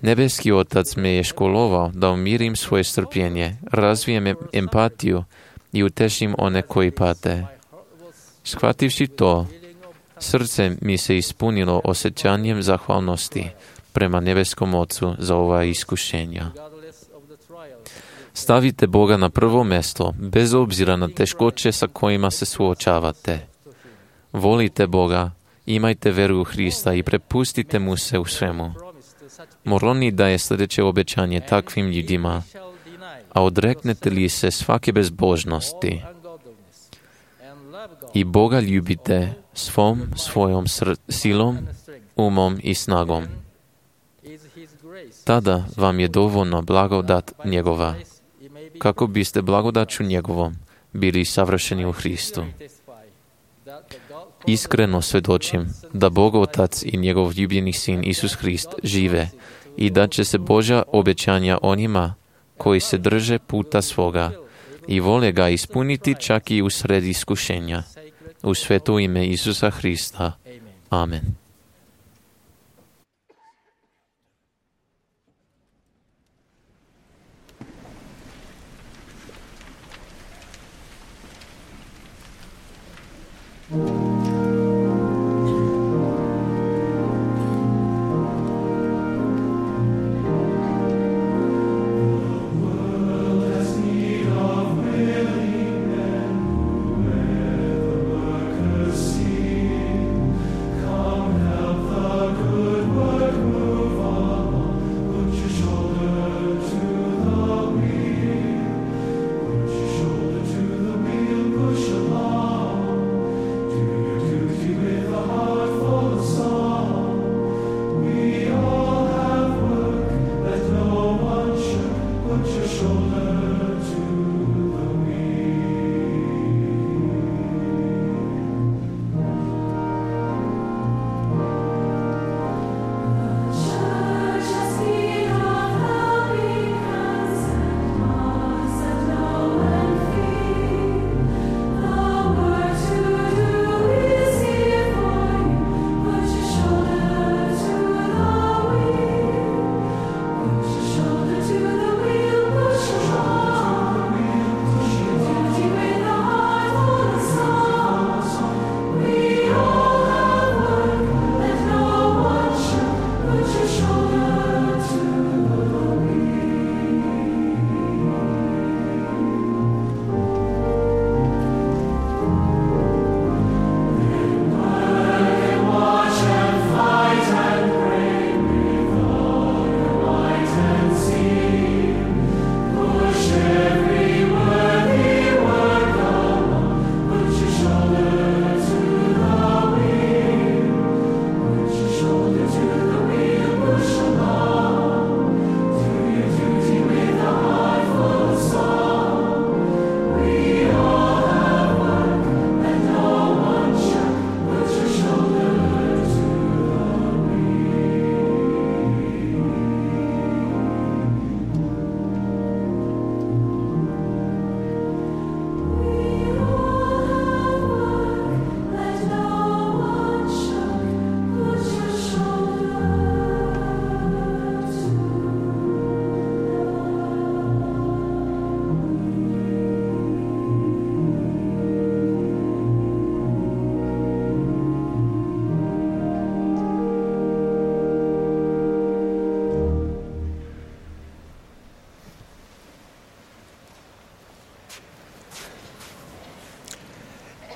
Nebeski Otac me je školovao da umirim svoje strpljenje, razvijem empatiju i utešim one koji pate. Shvativši to, srce mi se ispunilo osjećanjem zahvalnosti prema nebeskom Ocu za ova iskušenja. Stavite Boga na prvo mesto, bez obzira na teškoće sa kojima se suočavate. Volite Boga, imajte veru u Hrista i prepustite mu se u svemu. Moroni daje sljedeće obećanje takvim ljudima, a odreknete li se svake bezbožnosti i Boga ljubite svom svojom sr- silom, umom i snagom. Tada vam je dovoljno blagodat njegova, kako biste blagodaću njegovom bili savršeni u Hristu. Iskreno svjedočim da Bog Otac i njegov ljubljeni Sin Isus Hrist žive i da će se Božja obećanja onima koji se drže puta svoga i vole ga ispuniti čak i u sred iskušenja. U sveto ime Isusa Hrista. Amen.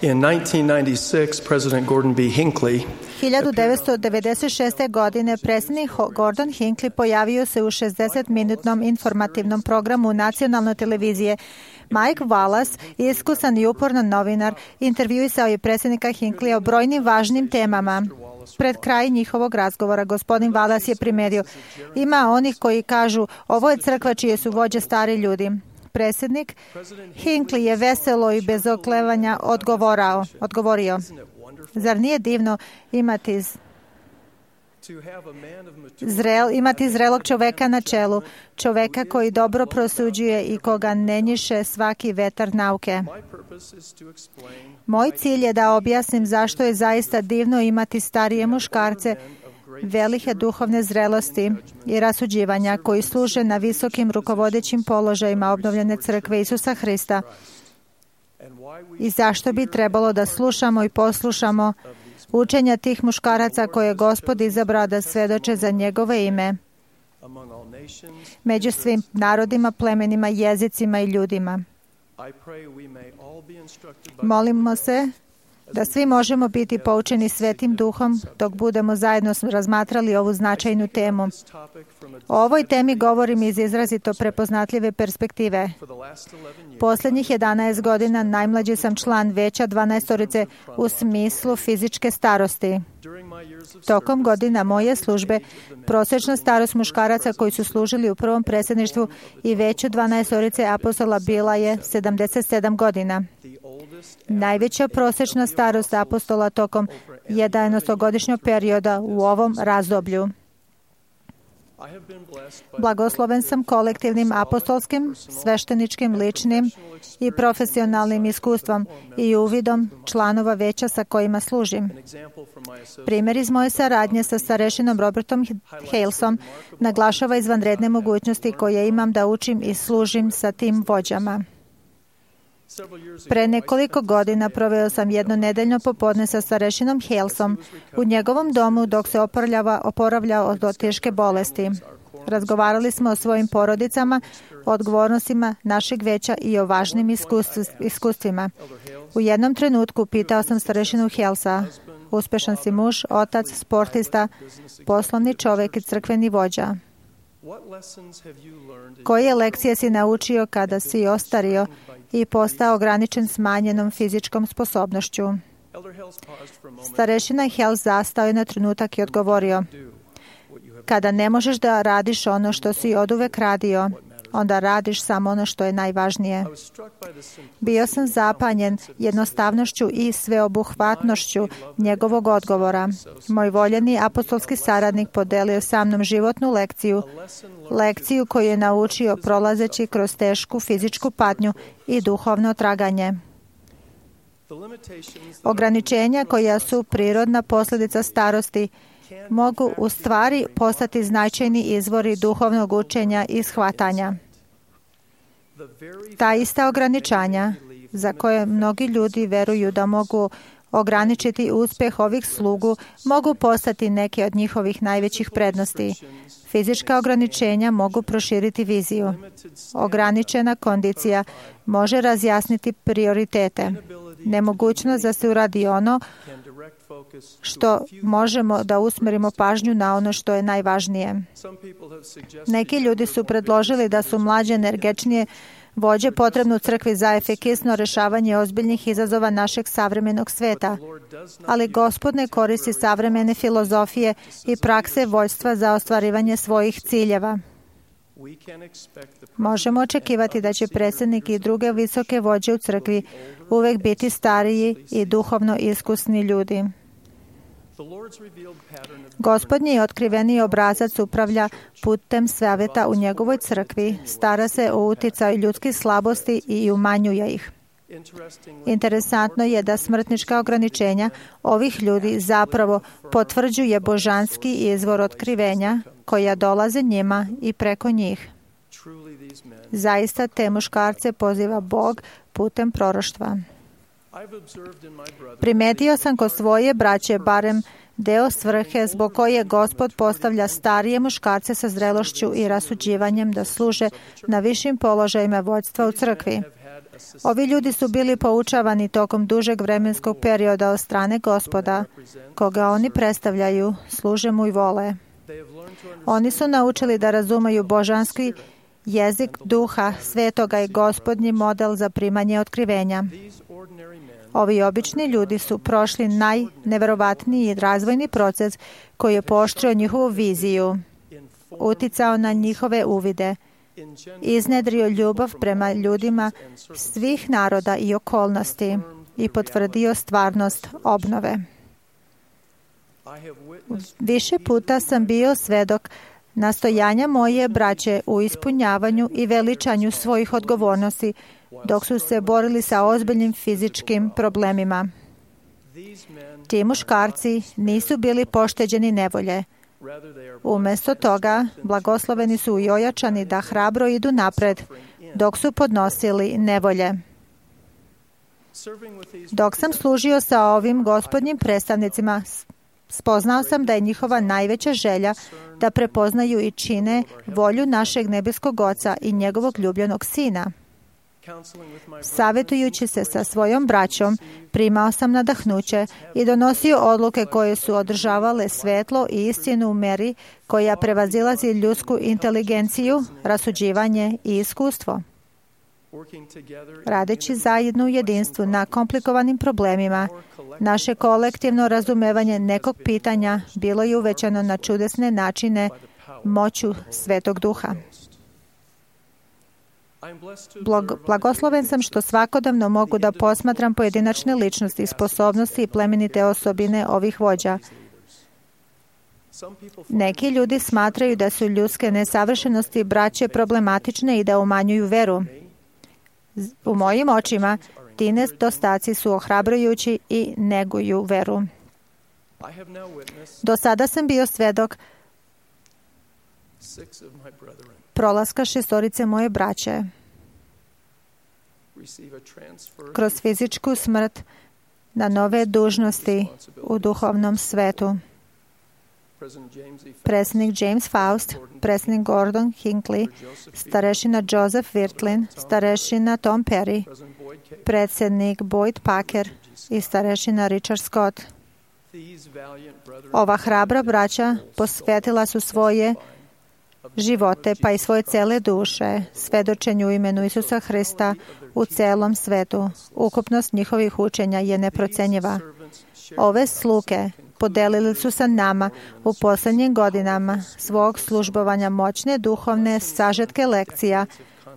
In nineteen ninety-six, President Gordon B. Hinckley hiljadu devetsto devedeset šeste. godine predsjednik Gordon Hinckley pojavio se u šezdesetminutnom informativnom programu nacionalne televizije. Mike Wallace, iskusan i uporan novinar, intervjuisao je predsjednika Hinckley o brojnim važnim temama. Pred kraj njihovog razgovora gospodin Wallace je primetio: ima onih koji kažu, ovo je crkva čije su vođe stari ljudi. Predsjednik Hinckley je veselo i bez oklevanja odgovorao, odgovorio: zar nije divno imati Zrel, imati zrelog čoveka na čelu, čoveka koji dobro prosuđuje i koga ne njiše svaki vetar nauke. Moj cilj je da objasnim zašto je zaista divno imati starije muškarce velike duhovne zrelosti i rasuđivanja koji služe na visokim rukovodećim položajima obnovljene crkve Isusa Hrista i zašto bi trebalo da slušamo i poslušamo učenja tih muškaraca koje je Gospod izabrao da svedoče za njegove ime među svim narodima, plemenima, jezicima i ljudima. Molimo se da svi možemo biti poučeni Svetim Duhom dok budemo zajedno razmatrali ovu značajnu temu. O ovoj temi govorim iz izrazito prepoznatljive perspektive. Posljednjih jedanaest godina najmlađi sam član veća dvanaestorice u smislu fizičke starosti. Tokom godina moje službe, prosječna starost muškaraca koji su služili u prvom predsjedništvu i veću dvanaestorice apostola bila je sedamdeset sedam godina. Najveća prosječna starost apostola tokom jedanaestogodišnjeg perioda u ovom razdoblju. Blagosloven sam kolektivnim apostolskim, svešteničkim, ličnim i profesionalnim iskustvom i uvidom članova veća sa kojima služim. Primjer iz moje saradnje sa starešinom Robertom Halesom naglašava izvanredne mogućnosti koje imam da učim i služim sa tim vođama. Pre nekoliko godina proveo sam jedno nedeljno popodne sa starešinom Halesom u njegovom domu dok se oporavljao od teške bolesti. Razgovarali smo o svojim porodicama, o odgovornostima našeg veća i o važnim iskustvima. U jednom trenutku pitao sam starešinu Halesa: uspešan si muž, otac, sportista, poslovni čovjek i crkveni vođa. Koje lekcije si naučio kada si ostario i postao ograničen smanjenom fizičkom sposobnošću? Starešina Hales zastao je na trenutak i odgovorio: kada ne možeš da radiš ono što si oduvek radio, onda radiš samo ono što je najvažnije. Bio sam zapanjen jednostavnošću i sveobuhvatnošću njegovog odgovora. Moj voljeni apostolski saradnik podelio sa mnom životnu lekciju, lekciju koju je naučio prolazeći kroz tešku fizičku patnju i duhovno traganje. Ograničenja koja su prirodna posljedica starosti mogu u stvari postati značajni izvori duhovnog učenja i shvatanja. Ta ista ograničanja, za koje mnogi ljudi veruju da mogu ograničiti uspjeh ovih slugu, mogu postati neke od njihovih najvećih prednosti. Fizička ograničenja mogu proširiti viziju. Ograničena kondicija može razjasniti prioritete. Nemogućnost da se uradi ono što možemo da usmerimo pažnju na ono što je najvažnije. Neki ljudi su predložili da su mlađe, energičnije vođe potrebne u crkvi za efikasno rješavanje ozbiljnih izazova našeg savremenog sveta. Ali Gospod ne koristi savremene filozofije i prakse vođstva za ostvarivanje svojih ciljeva. Možemo očekivati da će predsjednik i druge visoke vođe u crkvi uvek biti stariji i duhovno iskusni ljudi. Gospodnji otkriveni obrazac upravlja putem savjeta u njegovoj crkvi, stara se o uticaju ljudskih slabosti i umanjuje ih. Interesantno je da smrtnička ograničenja ovih ljudi zapravo potvrđuje božanski izvor otkrivenja koja dolaze njima i preko njih. Zaista te muškarce poziva Bog putem proroštva. Primetio sam kod svoje braće barem deo svrhe zbog koje Gospod postavlja starije muškarce sa zrelošću i rasuđivanjem da služe na višim položajima vođstva u crkvi. Ovi ljudi su bili poučavani tokom dužeg vremenskog perioda od strane Gospoda, koga oni predstavljaju, služe mu i vole. Oni su naučili da razumeju božanski jezik duha svetoga i gospodnji model za primanje otkrivenja. Ovi obični ljudi su prošli najneverovatniji razvojni proces koji je pooštrio njihovu viziju, uticao na njihove uvide, iznedrio ljubav prema ljudima svih naroda i okolnosti i potvrdio stvarnost obnove. Više puta sam bio svedok nastojanja moje braće u ispunjavanju i veličanju svojih odgovornosti dok su se borili sa ozbiljnim fizičkim problemima. Ti muškarci nisu bili pošteđeni nevolje. Umjesto toga, blagosloveni su i ojačani da hrabro idu napred dok su podnosili nevolje. Dok sam služio sa ovim gospodnjim predstavnicima, spoznao sam da je njihova najveća želja da prepoznaju i čine volju našeg nebeskog Oca i njegovog ljubljenog Sina. Savjetujući se sa svojom braćom, primao sam nadahnuće i donosio odluke koje su održavale svetlo i istinu u meri koja prevazilazi ljudsku inteligenciju, rasuđivanje i iskustvo. Radeći zajedno u jedinstvu na komplikovanim problemima, naše kolektivno razumevanje nekog pitanja bilo je uvećano na čudesne načine moću Svetog Duha. Blagosloven sam što svakodnevno mogu da posmatram pojedinačne ličnosti, sposobnosti i plemenite osobine ovih vođa. Neki ljudi smatraju da su ljudske nesavršenosti braće problematične i da umanjuju veru. U mojim očima ti nedostaci su ohrabrujući i neguju veru. Do sada sam bio svedok prolaska šestorice moje braće kroz fizičku smrt na nove dužnosti u duhovnom svetu. Predsjednik James Faust, predsjednik Gordon Hinckley, starešina Joseph Wirthlin, starešina Tom Perry, predsjednik Boyd Packer i starešina Richard Scott. Ova hrabra braća posvetila su svoje živote, pa i svoje cele duše, svedočenju u imenu Isusa Hrista u celom svetu. Ukupnost njihovih učenja je neprocenjiva. Ove sluge podelili su sa nama u posljednjim godinama svog službovanja moćne duhovne sažetke lekcija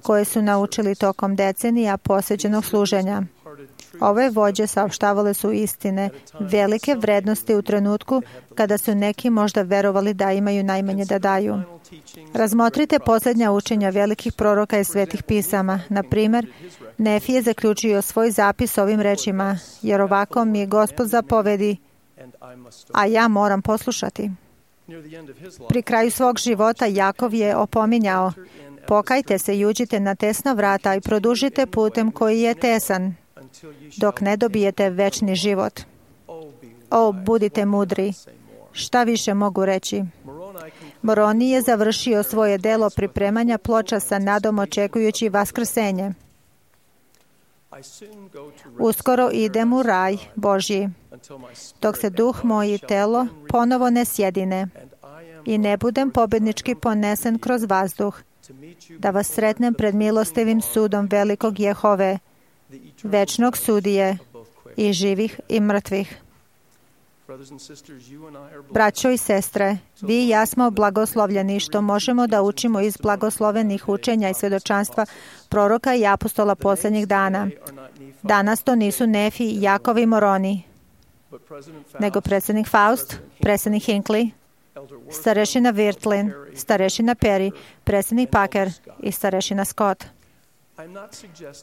koje su naučili tokom decenija posvećenog služenja. Ove vođe saopštavale su istine velike vrednosti u trenutku kada su neki možda verovali da imaju najmanje da daju. Razmotrite posljednja učenja velikih proroka i svetih pisama. Na primjer, Nefi je zaključio svoj zapis ovim rečima: jer ovako mi Gospod zapovedi, a ja moram poslušati. Pri kraju svog života Jakov je opominjao: pokajte se i uđite na tesna vrata i produžite putem koji je tesan, dok ne dobijete večni život. O, budite mudri. Šta više mogu reći? Moroni je završio svoje delo pripremanja ploča sa nadom očekujući vaskrsenje. Uskoro idem u raj Božji, dok se duh moj i telo ponovo ne sjedine i ne budem pobjednički ponesen kroz vazduh, da vas sretnem pred milostivim sudom velikog Jehove, večnog sudije i živih i mrtvih. Braćo i sestre, vi i ja smo blagoslovljeni što možemo da učimo iz blagoslovenih učenja i svjedočanstva proroka i apostola posljednjih dana. Danas to nisu Nefi, Jakov i Moroni, nego predsjednik Faust, predsjednik Hinckley, starešina Wirthlin, starešina Perry, predsjednik Packer i starešina Scott.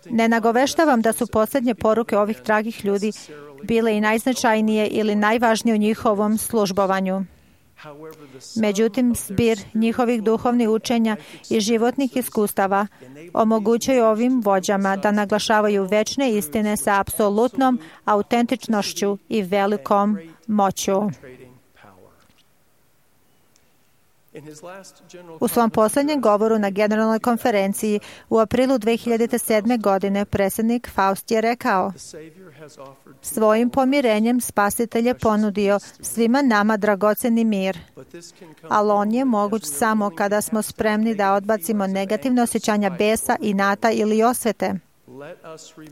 Ne nagoveštavam da su posljednje poruke ovih dragih ljudi bile i najznačajnije ili najvažnije u njihovom službovanju. Međutim, zbir njihovih duhovnih učenja i životnih iskustava omogućuju ovim vođama da naglašavaju večne istine sa apsolutnom autentičnošću i velikom moću. U svom posljednjem govoru na Generalnoj konferenciji u aprilu dve hiljade sedme. godine predsjednik Faust je rekao: svojim pomirenjem Spasitelj je ponudio svima nama dragoceni mir, ali on je moguć samo kada smo spremni da odbacimo negativne osjećanja besa, inata ili osvete.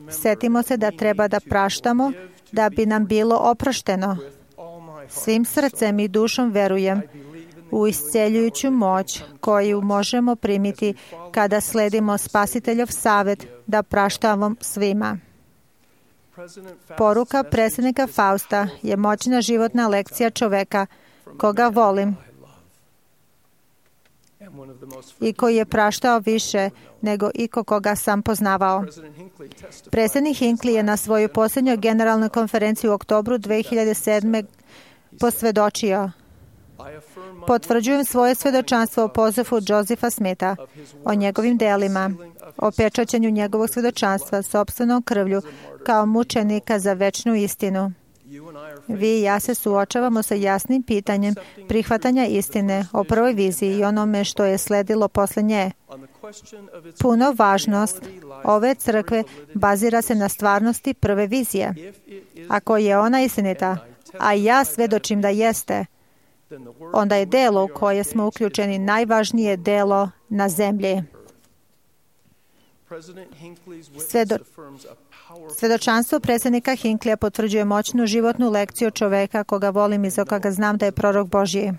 Setimo se da treba da praštamo da bi nam bilo oprošteno. Svim srcem i dušom verujem u isceljujuću moć koju možemo primiti kada sledimo Spasiteljov savjet da praštamo svima. Poruka predsjednika Fausta je moćna životna lekcija čoveka koga volim i koji je praštao više nego iko koga sam poznavao. Predsjednik Hinckley je na svojoj posljednjoj generalnoj konferenciji u oktobru dve hiljade sedme. posvjedočio: potvrđujem svoje svjedočanstvo o pozivu Josepha Smitha, o njegovim delima, o pečaćenju njegovog svjedočanstva sopstvenom krvlju kao mučenika za večnu istinu. Vi i ja se suočavamo sa jasnim pitanjem prihvatanja istine o prvoj viziji i onome što je sledilo posle nje. Puno važnost ove crkve bazira se na stvarnosti prve vizije. Ako je ona istinita, a ja svedočim da jeste, onda je delo u koje smo uključeni najvažnije delo na zemlji. Svedo... Svedočanstvo predsjednika Hinckley potvrđuje moćnu životnu lekciju čoveka koga volim i za koga znam da je prorok Božji.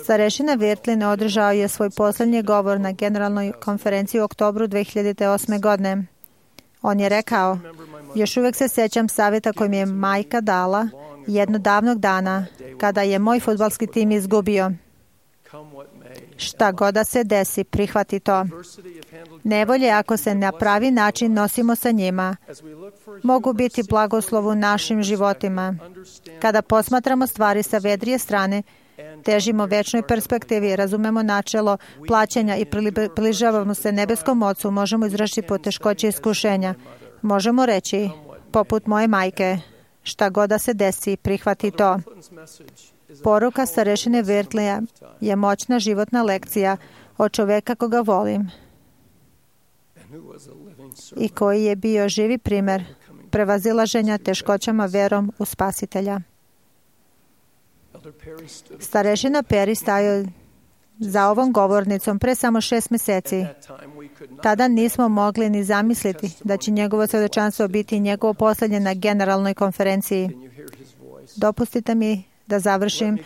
Starešina Wirthlin održao je svoj posljednji govor na generalnoj konferenciji u oktobru dve hiljade osme. godine. On je rekao: još uvijek se sjećam savjeta koji mi je majka dala jednog davnog dana kada je moj fudbalski tim izgubio. Šta god da se desi, prihvati to. Nevolje, ako se na pravi način nosimo sa njima, mogu biti blagoslov u našim životima. Kada posmatramo stvari sa vedrije strane, težimo večnoj perspektivi, razumemo načelo plaćanja i približavamo se nebeskom Ocu, možemo izrašiti poteškoće i iskušenja. Možemo reći, poput moje majke, šta god da se desi, prihvati to. Poruka starešine Wirthlina je moćna životna lekcija od čoveka koga volim i koji je bio živi primjer prevazilaženja teškoćama verom u Spasitelja. Starešina Perry stajao za ovom govornicom pre samo šest mjeseci. Tada nismo mogli ni zamisliti da će njegovo svjedočanstvo biti njegovo posljednje na generalnoj konferenciji. Dopustite mi da završim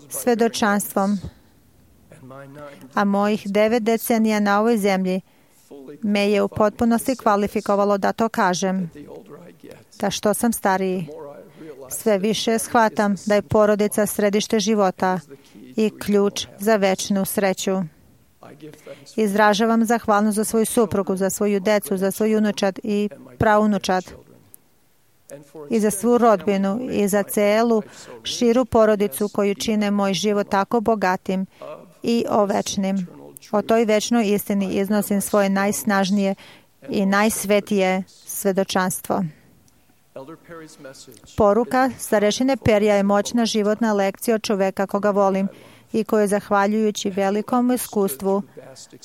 svjedočanstvom, a mojih devet decenija na ovoj zemlji me je u potpunosti kvalifikovalo da to kažem. Da što sam stariji, sve više shvatam da je porodica središte života i ključ za večnu sreću. Izražavam zahvalnost za svoju suprugu, za svoju decu, za svoju unučad i praunučad, i za svu rodbinu i za celu širu porodicu koju čine moj život tako bogatim i ovečnim. O toj večnoj istini iznosim svoje najsnažnije i najsvetije svedočanstvo. Poruka starešine Perija je moćna životna lekcija od čoveka koga volim i koji je, zahvaljujući velikom iskustvu,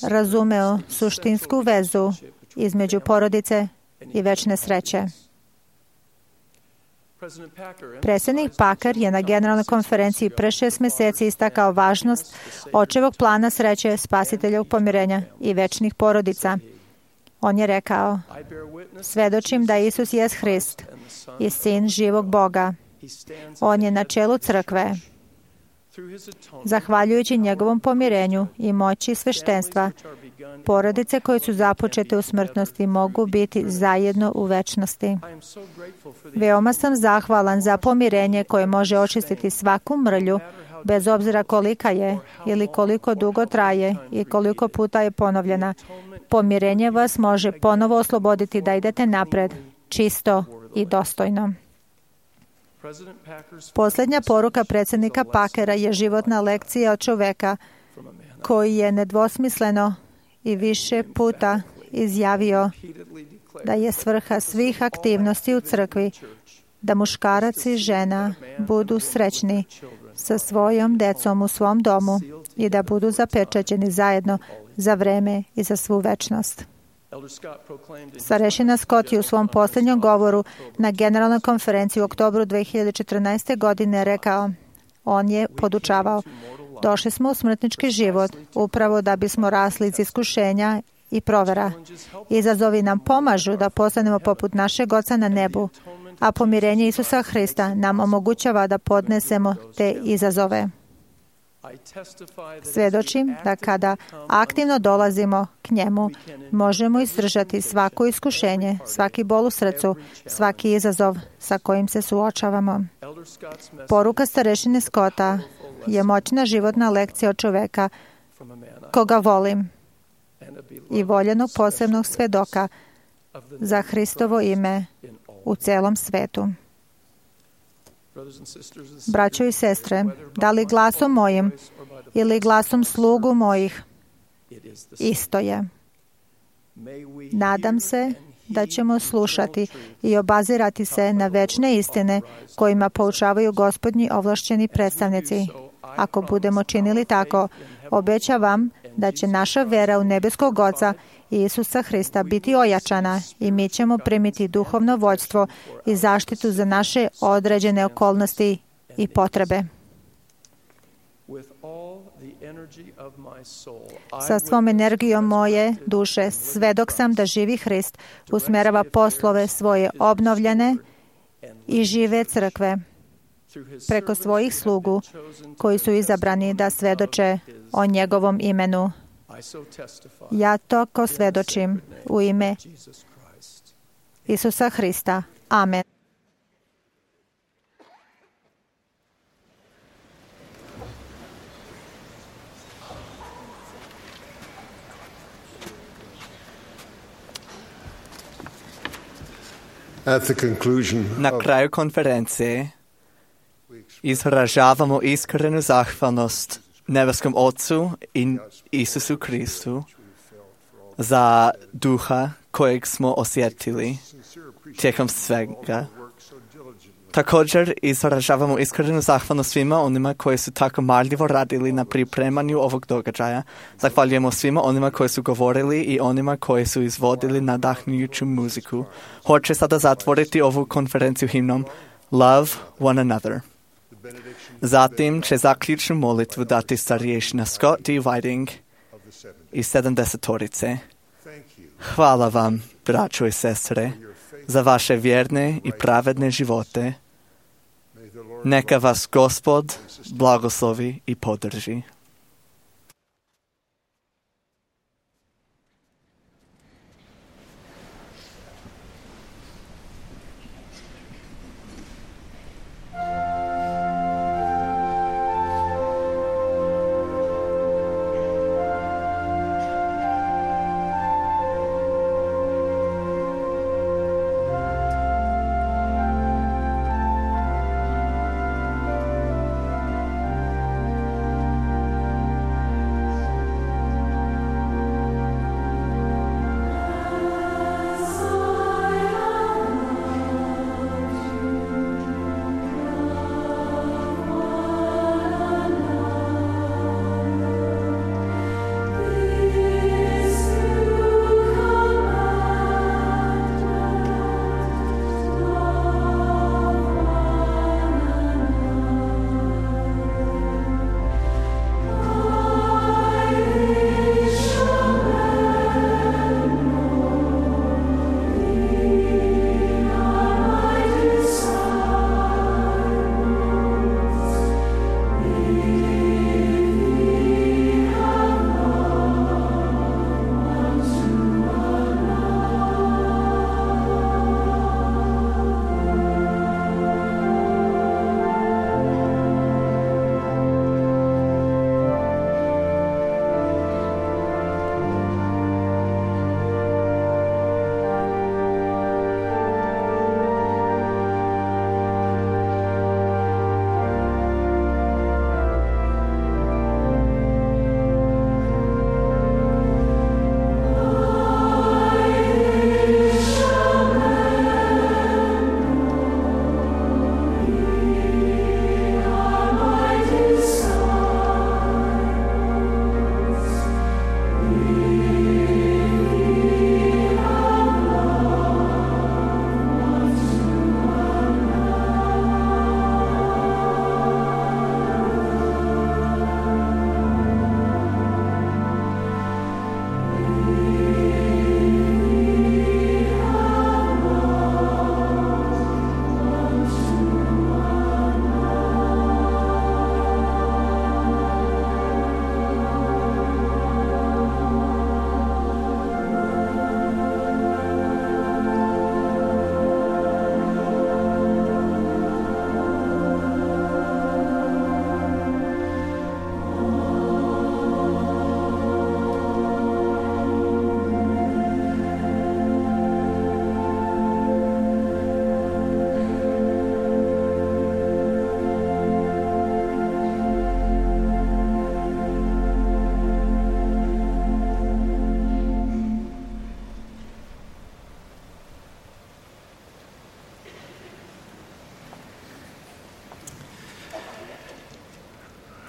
razumeo suštinsku vezu između porodice i večne sreće. Predsjednik Packer je na generalnoj konferenciji pre šest mjeseci istakao važnost očevog plana sreće, Spasiteljevog pomirenja i večnih porodica. On je rekao: svedočim da Isus jest Hrist i Sin živog Boga. On je na čelu crkve. Zahvaljujući njegovom pomirenju i moći sveštenstva, porodice koje su započete u smrtnosti mogu biti zajedno u večnosti. Veoma sam zahvalan za pomirenje koje može očistiti svaku mrlju, bez obzira kolika je ili koliko dugo traje i koliko puta je ponovljena. Pomirenje vas može ponovo osloboditi da idete napred, čisto i dostojno. Posljednja poruka predsjednika Packera je životna lekcija od čoveka koji je nedvosmisleno i više puta izjavio da je svrha svih aktivnosti u crkvi da muškarac i žena budu srećni sa svojom decom u svom domu i da budu zapečaćeni zajedno za vreme i za svu večnost. Starešina Scott je u svom posljednjem govoru na generalnoj konferenciji u oktobru dve hiljade četrnaeste. godine rekao, on je podučavao, došli smo u smrtnički život upravo da bismo rasli iz iskušenja i provera. Izazovi nam pomažu da postanemo poput našeg Oca na nebu, a pomirenje Isusa Hrista nam omogućava da podnesemo te izazove. Svjedočim da kada aktivno dolazimo k njemu, možemo izdržati svako iskušenje, svaki bol u srcu, svaki izazov sa kojim se suočavamo. Poruka starešine Scotta je moćna životna lekcija od čoveka koga volim i voljenog posebnog svedoka za Hristovo ime u celom svetu. Braćo i sestre, da li glasom mojim ili glasom slugu mojih, isto je. Nadam se da ćemo slušati i obazirati se na večne istine kojima poučavaju Gospodnji ovlašćeni predstavnici. Ako budemo činili tako, obećavam da će naša vera u nebeskog Oca i Isusa Hrista biti ojačana i mi ćemo primiti duhovno vođstvo i zaštitu za naše određene okolnosti i potrebe. Sa svom energijom moje duše svedok sam da živi Hrist usmerava poslove svoje obnovljene i žive crkve preko svojih slugu koji su izabrani da svedoče o njegovom imenu. Ja to ko svedočim u ime Isusa Hrista. Amen. Na kraju konferencije izražavamo iskrenu zahvalnost nebeskom Otcu i Isusu Kristu za duha kojeg smo osjetili tijekom svega. Također izražavamo iskrenu zahvalnost svima onima koji su tako marljivo radili na pripremanju ovog događaja. Zahvaljujemo svima onima koji su govorili i onima koji su izvodili nadahnjujuću muziku. Hoće sada zatvoriti ovu konferenciju himnom Love One Another. Zatim će zaključnu molitvu dati starješina Scott D. Whiting i sedamdesetorice. Hvala vam, braćo i sestre, za vaše vjerne i pravedne živote. Neka vas Gospod blagoslovi i podrži.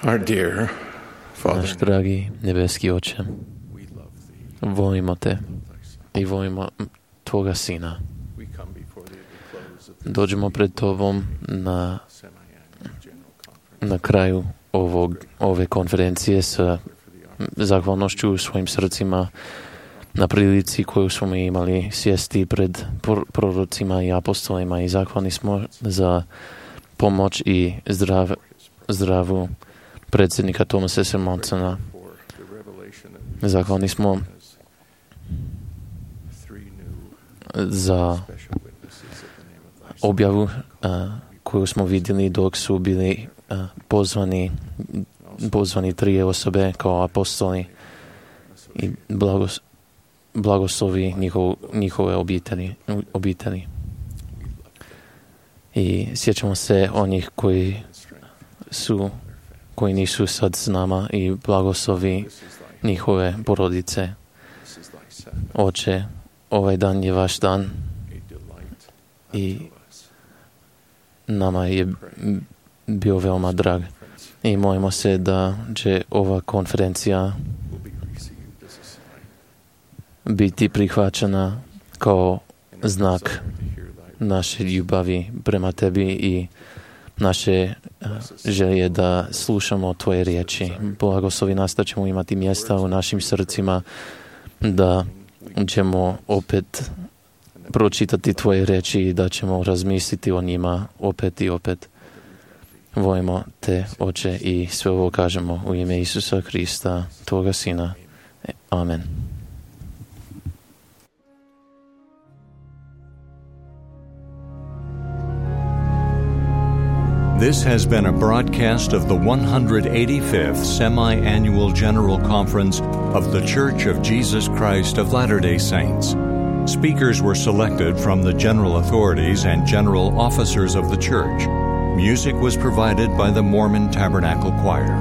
Our dear Father, Náš dragý nebeský Oče, volimo Te i volimo Tvoga Sina. Dođemo pred Tobom na, na kraju ovog, ove konferencije sa zahvalnošću u svojim srcima na prilici koju smo imali sjesti pred prorocima i apostolima i zahvalni smo za pomoć i zdrav, zdravu predsjednika Thomasa S. Monsona. Zahvalni smo za objavu uh, koju smo vidjeli dok su bili uh, pozvani, pozvani tri osobe kao apostoli i blagos, blagoslovi njihov, njihove obitelji, obitelji. I sjećamo se onih koji su koji nisu sad s nama i blagoslovi njihove porodice. Oče, ovaj dan je vaš dan i nama je bio veoma drag. I molimo se da će ova konferencija biti prihvaćena kao znak naše ljubavi prema Tebi i naše želje da slušamo Tvoje riječi. Blagoslovi nas da ćemo imati mjesta u našim srcima, da ćemo opet pročitati Tvoje riječi i da ćemo razmisliti o njima opet i opet. Volimo Te, Oče, i sve ovo kažemo u ime Isusa Hrista, Tvoga Sina. Amen. This has been a broadcast of the one hundred eighty-fifth Semi-Annual General Conference of The Church of Jesus Christ of Latter-day Saints. Speakers were selected from the general authorities and general officers of the church. Music was provided by the Mormon Tabernacle Choir.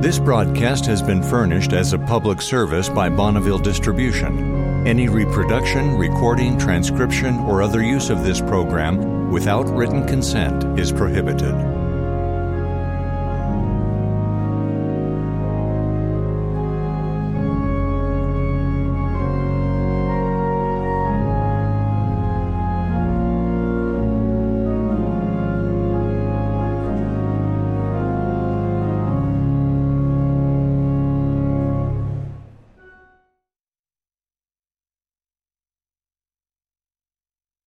This broadcast has been furnished as a public service by Bonneville Distribution. Any reproduction, recording, transcription, or other use of this program without written consent is prohibited.